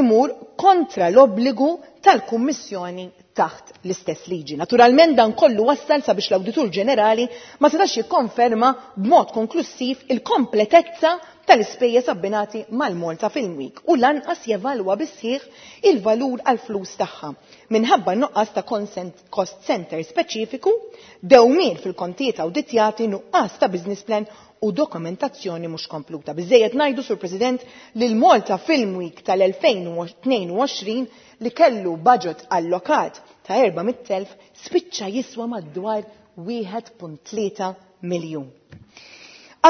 imur kontra l-obbligu tal-Kummissjoni taħt l-istess liġi. Naturalment dan kollu wassal sabiex l-Awditur Ġenerali ma setax jikkonferma b'mod konklussiv il-kompletezza tal-ispejjeż abbinati mal-Malta Film Week u lanqas jevalwa bis-sħiħ il-valur għall-flus tagħha minħabba nuqqas ta' cost center speċifiku, dewmien fil-kontijiet awditjati, nuqqas ta' business plan u dokumentazzjoni mhux kompluta. Biżżejjed ngħidu, Sur President, li l-Malta Film Week tal-2022 li kellu budget allokat ta' 400,000 spiċċa jiswa madwar 1.3 miljun.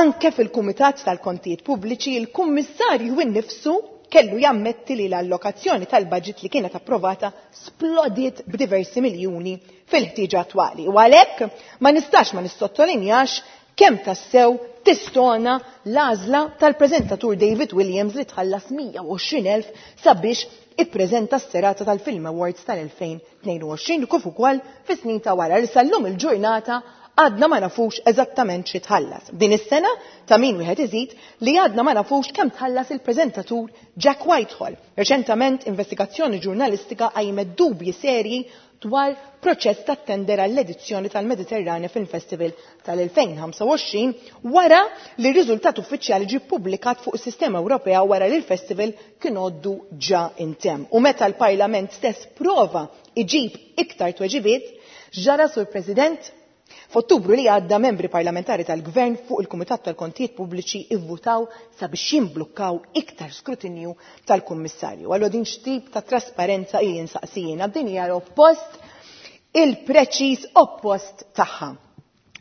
Anke fil-Kumitat tal-Kontijiet Pubbliċi, il-Kummissarju innifsu kellu jammetti li l-allokazzjoni tal-budget li kienet approvata splodiet b'diversi miljuni fil-ħtieġa attwali. U għalhekk ma nistax ma nissottolinjax kemm tassew tistona l-għażla tal-preżentatur David Williams li tħallas 120,000 sabiex ippreżenta s-serata tal-Film Awards tal-2022 kif ukoll fis-snin ta' wara li sal-lum il-ġurnata għadna ma nafux eżattament xi tħallas. Din is-sena ta' min wieħed iżid li għadna ma nafux kemm tħallas il-preżentatur Jack Whitehall. Reċentament investigazzjoni ġurnalistika qajmet dubji serji dwar proċess ta' tender għall-edizzjoni tal-Mediterranea Film Festival tal-2025 wara li r-riżultat uffiċjali ġie ppubblikat fuq is-sistema Ewropea wara li l-festival kien għoddu ġa intemm. U meta l-Parlament stess prova iġib iktar tweġibiet, x'ġara Sur President? F'Ottubru li għadda membri parlamentari tal-Gvern fuq il-Kumitat tal-Kontijiet Pubbliċi ivvutaw sabiex jimblukkaw iktar skrutinju tal-Kummissarju. Allura din x'tip ta' trasparenza hi insaqsi jiena? Din hija l-oppost, il-preċiż oppost tagħha.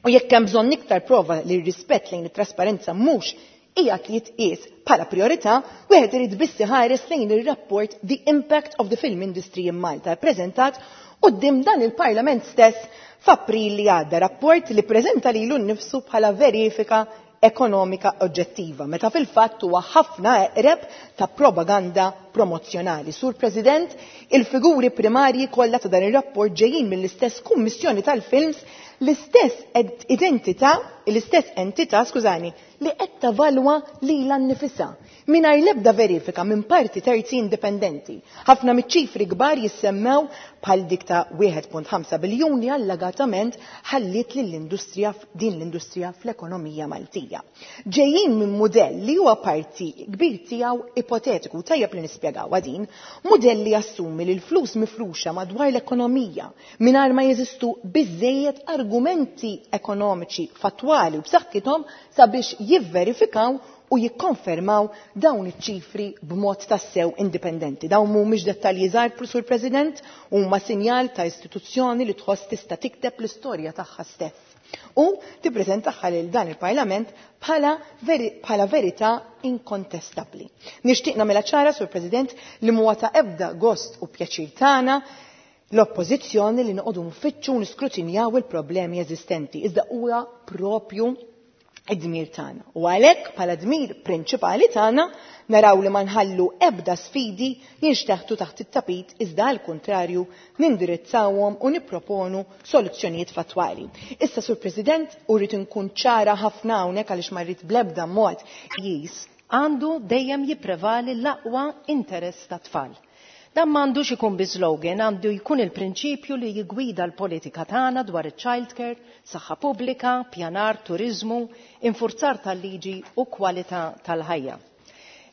U jekk hemm bżonn iktar prova li r-rispett lejn it-trasparenza mhux qiegħed jitqies bħala priorità, wieħed irid biss iħares lejn ir-rapport The Impact of the Film Industry in Malta ppreżentat quddiem dan il-Parlament stess f'April li għadda, rapport li ppreżenta lilu nnifsu bħala verifika ekonomika oġġettiva, meta fil-fatt huwa ħafna eqreb ta' propaganda promozzjonali. Sur President, il-figuri primarji kollha ta' dan ir-rapport ġejjin mill-istess Kummissjoni tal-Films, l-istess identità, l-istess entità, skużani, li qed tavalwa lilha nnifisha mingħajr l-ebda verifika minn parti terzi indipendenti. Ħafna miċ-ċifri kbar jissemmew bħal dik ta' 1.5 biljun li allegatament ħalliet lill-industrija din l-industrija fl-ekonomija Maltija. Ġejjin minn mudell li huwa parti kbir tiegħu ipotetiku, tajjeb li nispjegawha din, mudell li jassumi li l-flus mifruxa madwar l-ekonomija mingħajr ma jeżistu biżżejjed argumenti ekonomiċi fattwali u b'saħħithom sabiex jivverifikaw u jikkonfermaw dawn iċ-ċifri b'mod tassew indipendenti. Dawn mhumiex dettalji żgħar, Sur President, huma sinjal ta' istituzzjoni li tħoss tista' tikteb l-istorja tagħha stess u tippreżentaha lil dan il-Parlament bħala bħala verità inkontestabbli. Nixtieq nagħmilha ċara, Sur President, li mhuwa ta' ebda gost u pjaċir tagħna l-oppożizzjoni li noqogħdu nfittxu u niskrutinjaw il-problemi eżistenti, iżda huwa propju id-dmir tagħna. U għalhekk bħala dmir prinċipali tagħna naraw li ma nħallu ebda sfidi jinxteħtu taħt it-tapit iżda għal kuntrarju nindirizzawhom u nipproponu soluzzjonijiet fattwali. Issa Sur President, u rrid inkun ċara ħafna hawnhekk għaliex ma rrid bl-ebda mod pajjiż għandu dejjem jipprevali l-aqwa interess tat-tfal. Dan m'għandux ikun bi slogan, għandu jkun il-prinċipju li jigwida l-politika tagħna dwar iċ-child care, saħħa pubblika, pjanar, turiżmu, infurzar tal-liġi u kwalità tal-ħajja.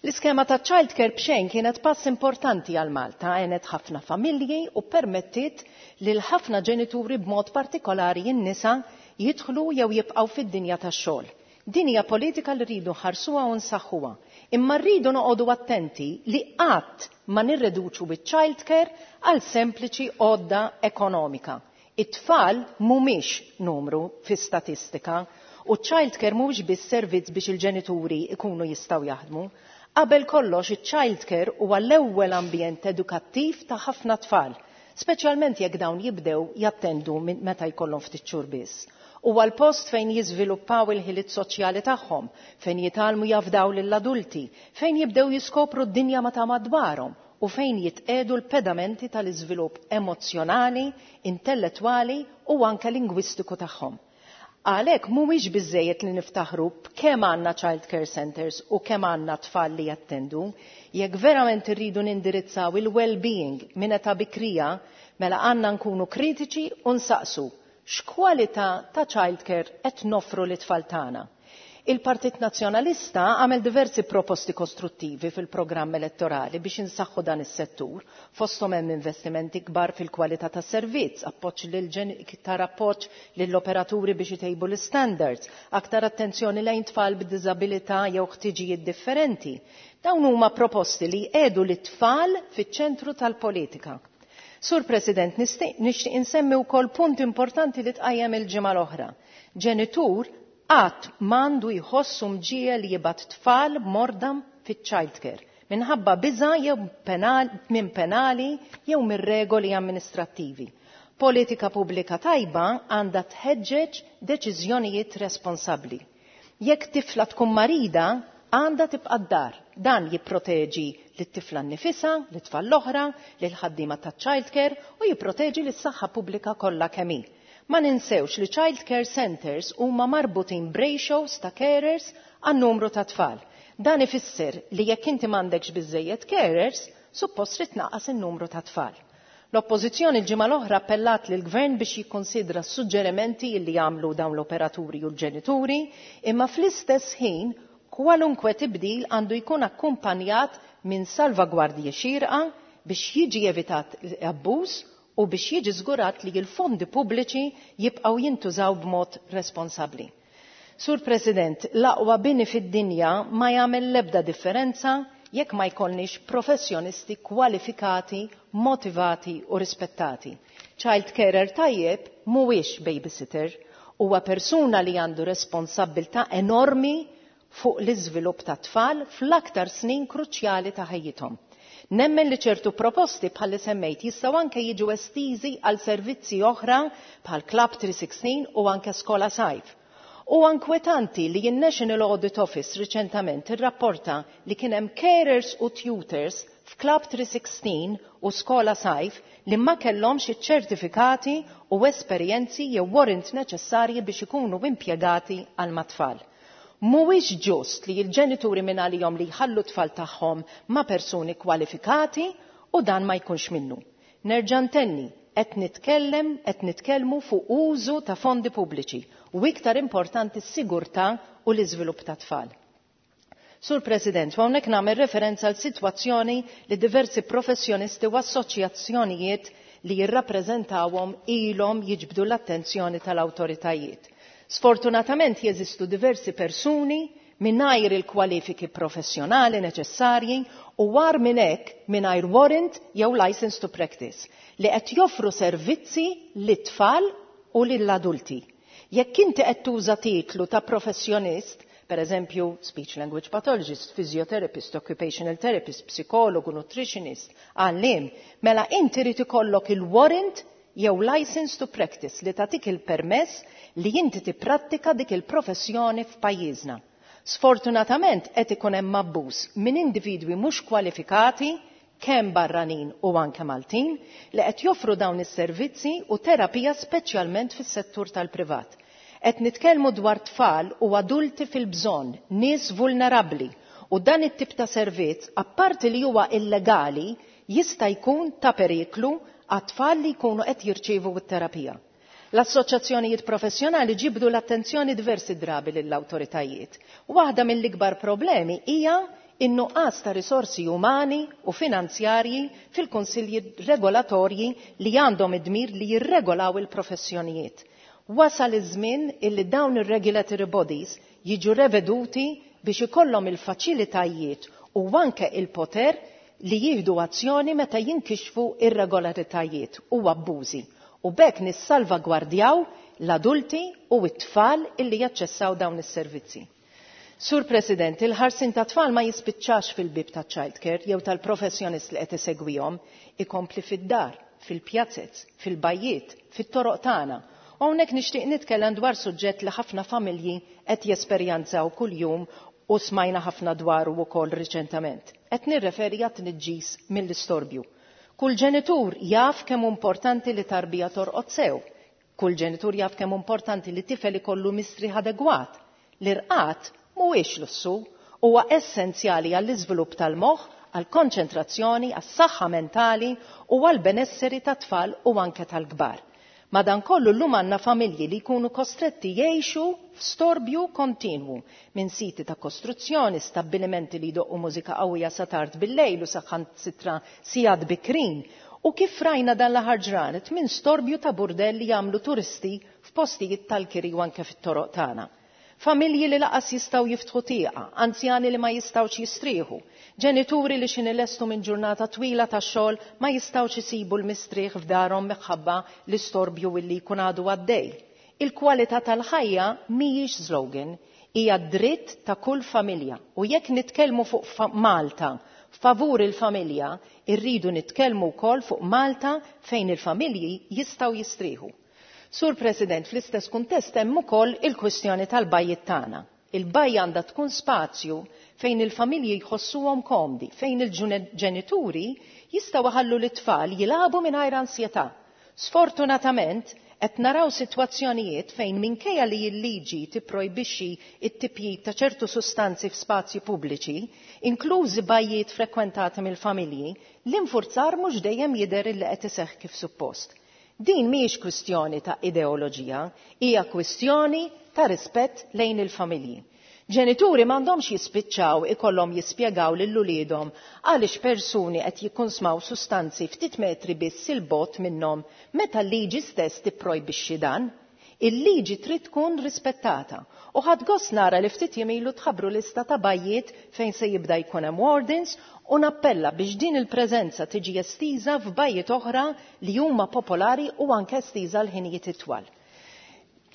L-iskema ta' child care b'xejn kienet pass importanti għal Malta, għenet ħafna familji u permettit lil ħafna ġenituri b'mod partikolari n-nisa jidħlu jew jibqgħu fid-dinja tax-xogħol. Din hija politika li rridu nħarsuha u nsaħħuha. Imma rridu noqogħdu attenti li qatt ma nirreduċu biċ-child care għal sempliċi għodda ekonomika. It-tfal mhumiex numru fi statistika u child care mhuwiex biss servizz biex il-ġenituri ikunu jistgħu jaħdmu. Qabel kollox iċ-child care huwa l-ewwel ambjent edukattiv ta' ħafna tfal, speċjalment jekk dawn jibdew jattendu minn meta jkollhom ftit xhur biss. Huwa l-post fejn jiżviluppaw il-ħiliet soċjali tagħhom, fejn jitgħallmu jafdaw lill-adulti, fejn jibdew jiskopru d-dinja ma ta' madwarhom u fejn jitqegħdu l-pedamenti tal-iżvilupp emozzjonali, intellettwali u anke lingwistiku tagħhom. Għalhekk mhuwiex biżejjed li niftaħru b'kemm għandna child care centers u kemm għandna tfal li jattendu. Jekk verament irridu nindirizzaw il-well-being minn età bikrija, mela għandna nkunu kritiċi u nsaqsu x'kwalità ta' child care qed noffru lit-tfal tagħna. Il-Partit Nazzjonalista għamel diversi proposti kostruttivi fil-programm elettorali biex insaħħu dan is-settur, fosthom hemm investimenti kbar fil-kwalità tas-servizz, appoġġ lil iktar appoġġ lill-operaturi biex itejbu l-standards, aktar attenzjoni lejn tfal b'diżabilità jew ħtiġijiet differenti. Dawn huma proposti li jqiegħdu lit-tfal fiċ-ċentru tal-politika. Sur President, nixtieq insemmi wkoll punt importanti li tqajjem il-ġimgħa l-oħra. Ġenitur qatt m'għandu jħossu mġiegħel li jibgħat tfal morda fiċ-child care minħabba biża' jew penal, minn penali jew minn regoli amministrattivi. Politika pubblika tajba għandha tħeġġeġ deċiżjonijiet responsabbli. Jekk tifla tkun marida, għandha tibqa' d-dar. Dan jipproteġi lit-tifla nnifisha, lit-tfal l-oħra, lil ħaddiema taċ-child care u jipproteġi lis-saħħa pubblika kollha kemm hi. Ma ninsewx li child care centers huma marbutin b'ratios ta' carers għan numru ta' tfal. Dan ifisser li jekk inti m'għandekx biżejjed carers, suppost trid tnaqqas in-numru ta' tfal. L-Oppożizzjoni l-ġimgħa l-oħra appellat lill-Gvern biex jikkonsidra s-suġġerimenti li jagħmlu dawn l-operaturi u l-ġenituri, imma fl-istess ħin kwalunkwe tibdil għandu jkun akkumpanjat minn salvagwardji xierqa biex jiġi evitat abbuż u biex jiġi żgurat li l-fondi pubbliċi jibqgħu jintużaw b'mod responsabbli. Sur President, l-aqwa bini fid-dinja ma jagħmel l-ebda differenza jekk ma jkollniex professjonisti kwalifikati, motivati u rispettati. Child carer tajjeb mhuwiex babysitter, huwa persuna li għandu responsabbiltà enormi fuq l-iżvilupp ta' tfal fl-aktar snin kruċjali ta' ħajjithom. Nemmen li ċertu proposti bħal li semmejt jistgħu anke jiġu estiżi għal servizzi oħra bħal Club 316 u anke Skola Sajf. U inkwetanti li n-National Audit Office riċentament irrapporta li kien hemm carers u tutors f'Club 316 u Skola Sajf li ma kellhomx iċ-ċertifikati u esperjenzi jew warrant neċessarji biex ikunu impjegati għal mat-tfal. Mhuwiex ġust li l-ġenituri minn għalihom li jħallu tfal tagħhom ma' persuni kwalifikati u dan ma jkunx minnu. Nerġa' ntenni, qed nitkellem qed nitkellmu fuq użu ta' fondi pubbliċi u iktar importanti s-sigurtà u l-iżvilupp ta' tfal. Sur President, u hawnhekk nagħmel referenza għal sitwazzjoni li diversi professjonisti u assoċjazzjonijiet li jirrappreżentawhom ilhom jiġbdu l-attenzjoni tal-awtoritajiet. Sfortunatament jeżistu diversi persuni mingħajr il-kwalifiki professjonali neċessarji u war minn hekk mingħajr warrant jew license to practice li qed joffru servizzi lit-tfal u lill-adulti. Jekk inti qed tuża titlu ta' professjonist, per eżempju speech language pathologist, physiotherapist, occupational therapist, psikologu, nutritionist, għallim, mela inti rid ikollok il-warrant jew license to practice li tagħtik il-permess li inti tipprattika dik il-professjoni f'pajjiżna. Sfortunatament qed ikun hemm abbuż minn individwi mhux kwalifikati kemm barranin u anke Maltin li qed joffru dawn is-servizzi u terapija speċjalment fis-settur tal-privat. Qed nitkellmu dwar tfal u adulti fil-bżonn, nies vulnerabbli u dan it-tip ta' servizz apparti li huwa illegali jista' jkun ta' periklu għat-tfal li jkunu qed jirċievu t-terapija. L-assoċjazzjonijiet professjonali ġibdu l-attenzjoni diversi drabi lill-awtoritajiet. Waħda mill-ikbar problemi hija in-nuqqas ta' risorsi umani u finanzjarji fil-kunsilji regolatorji li għandhom id-dmir li jirregolaw il-professjonijiet. Wasal iż-żmien illi dawn ir-regulatory bodies jiġu reveduti biex ikollhom il-faċilitajiet u anke il-poter li jieħdu azzjoni meta jinkixfu irregolaritajiet u abbużi u b'hekk nissalvagwardjaw l-adulti u t-tfal illi jaċċessaw dawn is-servizzi. Sur President, il-ħarsien tat-tfal ma jispiċċax fil-bieb taċ-childcare jew tal-professjonist li qed isegwihom, ikompli fid-dar, fil-pjazez, fil-bajjiet, fit-toroq tagħna. U hawnhekk nixtieq nitkellem dwar suġġett li ħafna familji qed jesperjenzaw kuljum u smajna ħafna dwaru wkoll riċentament. Qed nirreferi għat-tniġġis mill-istorbju. Kull ġenitur jaf kemm hu importanti li tarbija torqod sew. Kull ġenitur jaf kemm hu importanti li tifel ikollu mistrieħ adegwat. L-irqad mhuwiex lussu, huwa essenzjali għall-iżvilupp tal-moħħ, għall-konċentrazzjoni, għas-saħħa mentali u għall-benesseri tat-tfal u anke tal-kbar. Madankollu llum għandna familji li jkunu kostretti jgħixu f'storbju kontinwu minn siti ta' kostruzzjoni, stabbilimenti li jdoqqu mużika qawwija sa tard bil-lejl u saħansitra sigħat bikrin u kif rajna dan l-aħħar ġranet minn storbju ta' burdell li jagħmlu turisti f'postijiet tal-kiri u anke fit-toroq tagħna. Familji li laqas jistgħu jiftħu tieqa, anzjani li ma jistgħux jistrieħu, ġenituri li x'inhi lestu minn ġurnata twila ta' xogħol ma jistgħux isibu l-mistrieħ f'darhom minħabba l-istorbju illi jkun għadu għaddej. Il-kwalità tal-ħajja mhijiex slogan, hija dritt ta' kull familja u jekk nitkellmu fuq Malta favur il-familja, irridu nitkellmu wkoll fuq Malta fejn il-familji jistgħu jistrieħu. Sur President, fl-istess kuntest hemm ukoll il-kwistjoni tal-bajjiet tagħna. Il-bajja għandha tkun spazju fejn il-familji jħossuhom komdi, fejn il-ġenituri jistgħu iħallu lit-tfal jilagħbu mingħajr ansjetà. Sfortunatament, qed naraw sitwazzjonijiet fejn minkejja li l-liġi tipprojbixxi t-tipjip ta' ċertu sustanzi f'spazji pubbliċi, inklużi bajjiet frekwentati mill-familji, l-infurzar mhux dejjem jidher illi qed iseħħ kif suppost. Din mhijiex kwistjoni ta' ideoloġija, hija kwistjoni ta' rispett lejn il-familji. Ġenituri m'għandhomx jispiċċaw ikollhom jispjegaw lil uliedhom għaliex persuni qed jikkunsmaw sustanzi ftit metri biss 'il bogħod minnhom meta l-liġi stess tipprojbixxi dan. Il-liġi trid tkun rispettata u ħadt gost nara li ftit jiem ilu tħabbru lista ta' bajjiet fejn se jibda jkun hemm wardens u nappella biex din il-preżenza tiġi estiża f'bajjiet oħra li huma popolari u anke estiża għal ħinijiet itwal.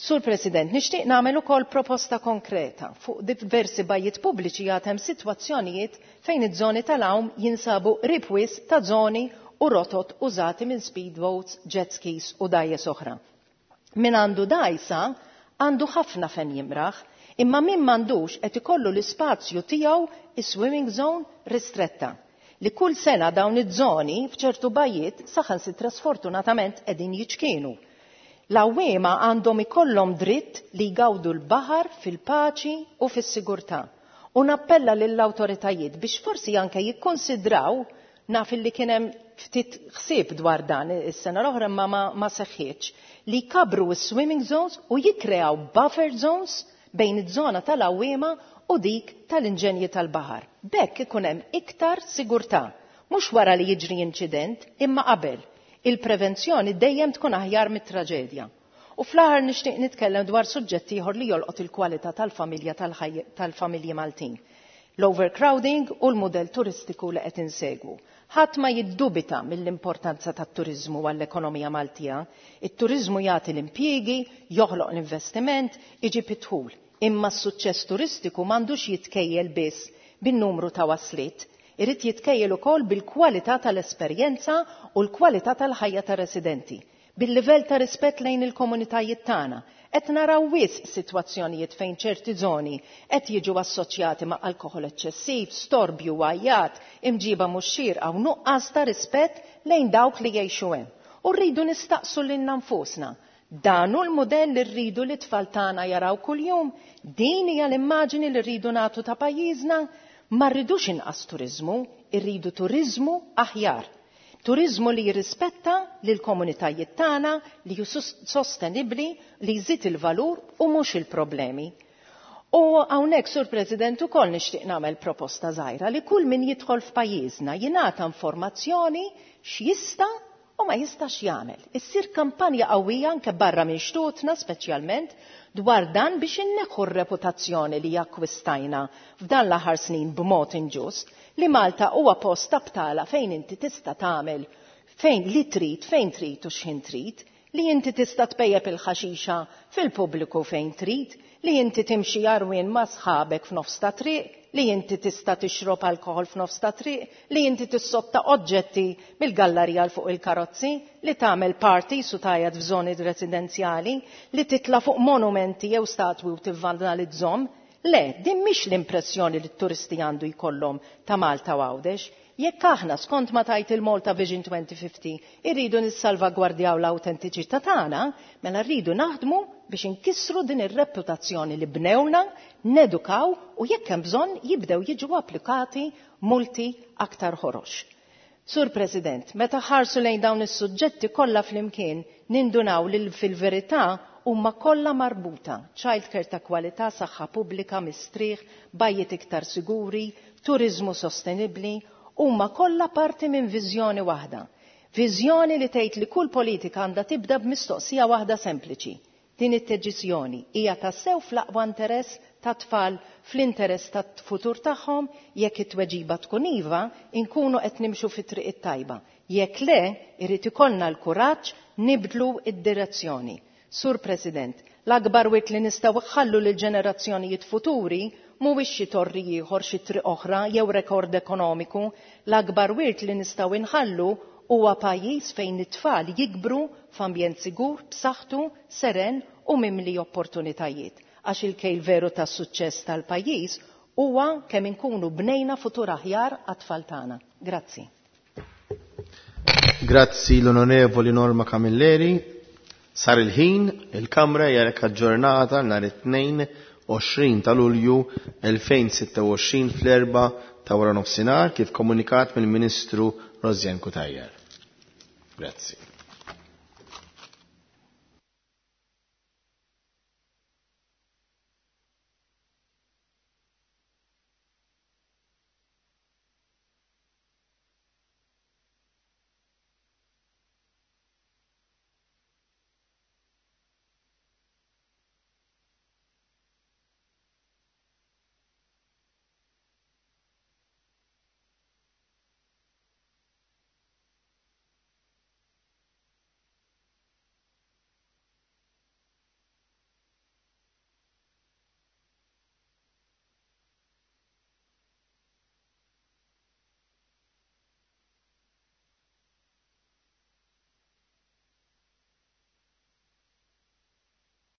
Sur President, nixtieq nagħmel ukoll proposta konkreta. Fuq diversi bajjiet pubbliċi għad hemm sitwazzjonijiet fejn iż-żoni tal-għawm jinsabu qrib wisq ta' żoni u rotot użati minn speedboats, jet skis u dgħajjes oħra. Min għandu dgħajsa għandu ħafna fejn jimraħ, imma min m'għandux qed ikollu l-ispazju tiegħu is-swimming zone ristretta. Li kull sena dawn iż-żoni f'ċertu bajjiet saħansitra sfortunatament qegħdin jiċkienu. L-għawwiema għandhom ikollhom dritt li jgawdu l-baħar fil-paċi u fis-sigurtà. U nappella lill-awtoritajiet biex forsi anke jikkonsidraw, naf illi kien hemm ftit ħsieb dwar dan is-sena l-oħra imma ma, ma seħħitx, li jkabbru s-swimming zones u jikkreaw buffer zones bejn iż-żona tal-għawwiema u dik tal-inġenji tal-baħar. B'hekk ikun hemm iktar sigurtà, mhux wara li jiġri inċident, imma qabel. Il-prevenzjoni dejjem tkun aħjar mit-traġedja. U fl-aħħar nixtieq nitkellem dwar suġġett ieħor li jolqot il-kwalità tal-familja tal-familji Maltin. L-overcrowding u l-mudell turistiku li qed insegwu. Ħadd ma jiddubita mill-importanza tat-turiżmu għall-ekonomija Maltija. It-turiżmu jagħti l-impjiegi, joħloq l-investiment, iġib id-dħul. Imma s-suċċess turistiku m'għandux jitkejjel biss bin-numru ta' wasliet. Irid jitkejjel ukoll bil-kwalità tal-esperjenza u l-kwalità tal-ħajja tar-residenti. Bil-livell ta' rispett lejn il-komunitajiet tagħna. Qed naraw wisq sitwazzjonijiet fejn ċerti żoni qed jiġu assoċjati ma' alkoħol eċċessiv, storbju, għajjat, imġiba mhux xierqa u nuqqas ta' rispett lejn dawk li jgħixu hemm. U rridu nistaqsu lilna nfusna, dan hu l-mudell li rridu li t-tfal tagħna jaraw kuljum? Din hija l-immaġini li rridu nagħtu ta' pajjiżna? Ma rridux inqas turiżmu, irridu turiżmu aħjar. Turiżmu li jirrispetta lill-komunitajiet tagħna, li hu sostenibbli, li jżid il-valur u mhux il-problemi. U hawnhekk, Sur President, ukoll nixtieq nagħmel proposta żgħira li kull min jidħol f'pajjiżna jingħata informazzjoni x'jista' u ma jistax jagħmel. Issir kampanja qawwija anke barra minn xtutna speċjalment dwar dan biex inneħħu r-reputazzjoni li akkwistajna f'dan l-aħħar snin b'mod inġust li Malta huwa post ta' btala fejn inti tista' tagħmel fejn li trid, fejn trid u x'ħin trid, li inti tista' tpejjep il-ħaxixa fil-pubbliku fejn trid, li inti timxi għarwien ma' sħabek f'nofs ta' triq, li inti tista' tixrob alkoħol f'nofs ta' triq, li inti tissotta oġġetti mill-gallarija 'l fuq il-karozzi, li tagħmel parties u tgħajjat f'żoni residenzjali, li titla' fuq monumenti jew statwi u tivvandalizzhom. Le, din mhix l-impressjoni li t-turisti għandu jkollhom ta' Malta u Għawdex. Jekk aħna, skont ma tgħid il-Malta Vision 2050, irridu nissalvagwardjaw l-awtentiċità tagħna, mela rridu naħdmu biex inkissru din ir-reputazzjoni li bnewna, nedukaw u jekk hemm bżonn jibdew jiġu applikati multi aktar ħorox. Sur President, meta ħarsu lejn dawn is-suġġetti kollha flimkien, nindunaw li fil-verità huma kollha marbuta. Childcare ta' kwalità, saħħa pubblika, mistrieħ, bajjiet iktar siguri, turiżmu sostenibbli, huma kollha parti minn viżjoni waħda. Viżjoni li tgħid li kull politika għandha tibda b'mistoqsija waħda sempliċi. Din id-deċiżjoni hija tassew fl-aqwa interess tat-tfal, fl-interess tat-futur tagħhom? Jekk it-tweġiba tkun iva, inkunu qed nimxu fit-triq it-tajba. Jekk le, irid ikollna l-kuraġġ nibdlu d-direzzjoni. Sur President, l-akbar wirt li nistgħu nħallu lill-ġenerazzjonijiet futuri mhuwiex xi torri ieħor, xi triq oħra jew rekord ekonomiku. L-akbar wirt li nistgħu nħallu huwa pajjiż fejn it-tfal jikbru f'ambjent sigur, b'saħħtu, seren u mimli opportunitajiet. Għax il-kejl veru tas-suċċess tal-pajjiż huwa kemm inkunu bnejna futur aħjar għat-tfal tagħna. Grazzi. Grazzi l-Onorevoli Norma Camilleri. Sar il-ħin, il-Kamra hija aġġornata nhar it-Tnejn 20 ta' Lulju 2026 fl-4 ta' wara nofsinhar kif komunikat mill-Ministru Rosianne Cutajar. Grazzi.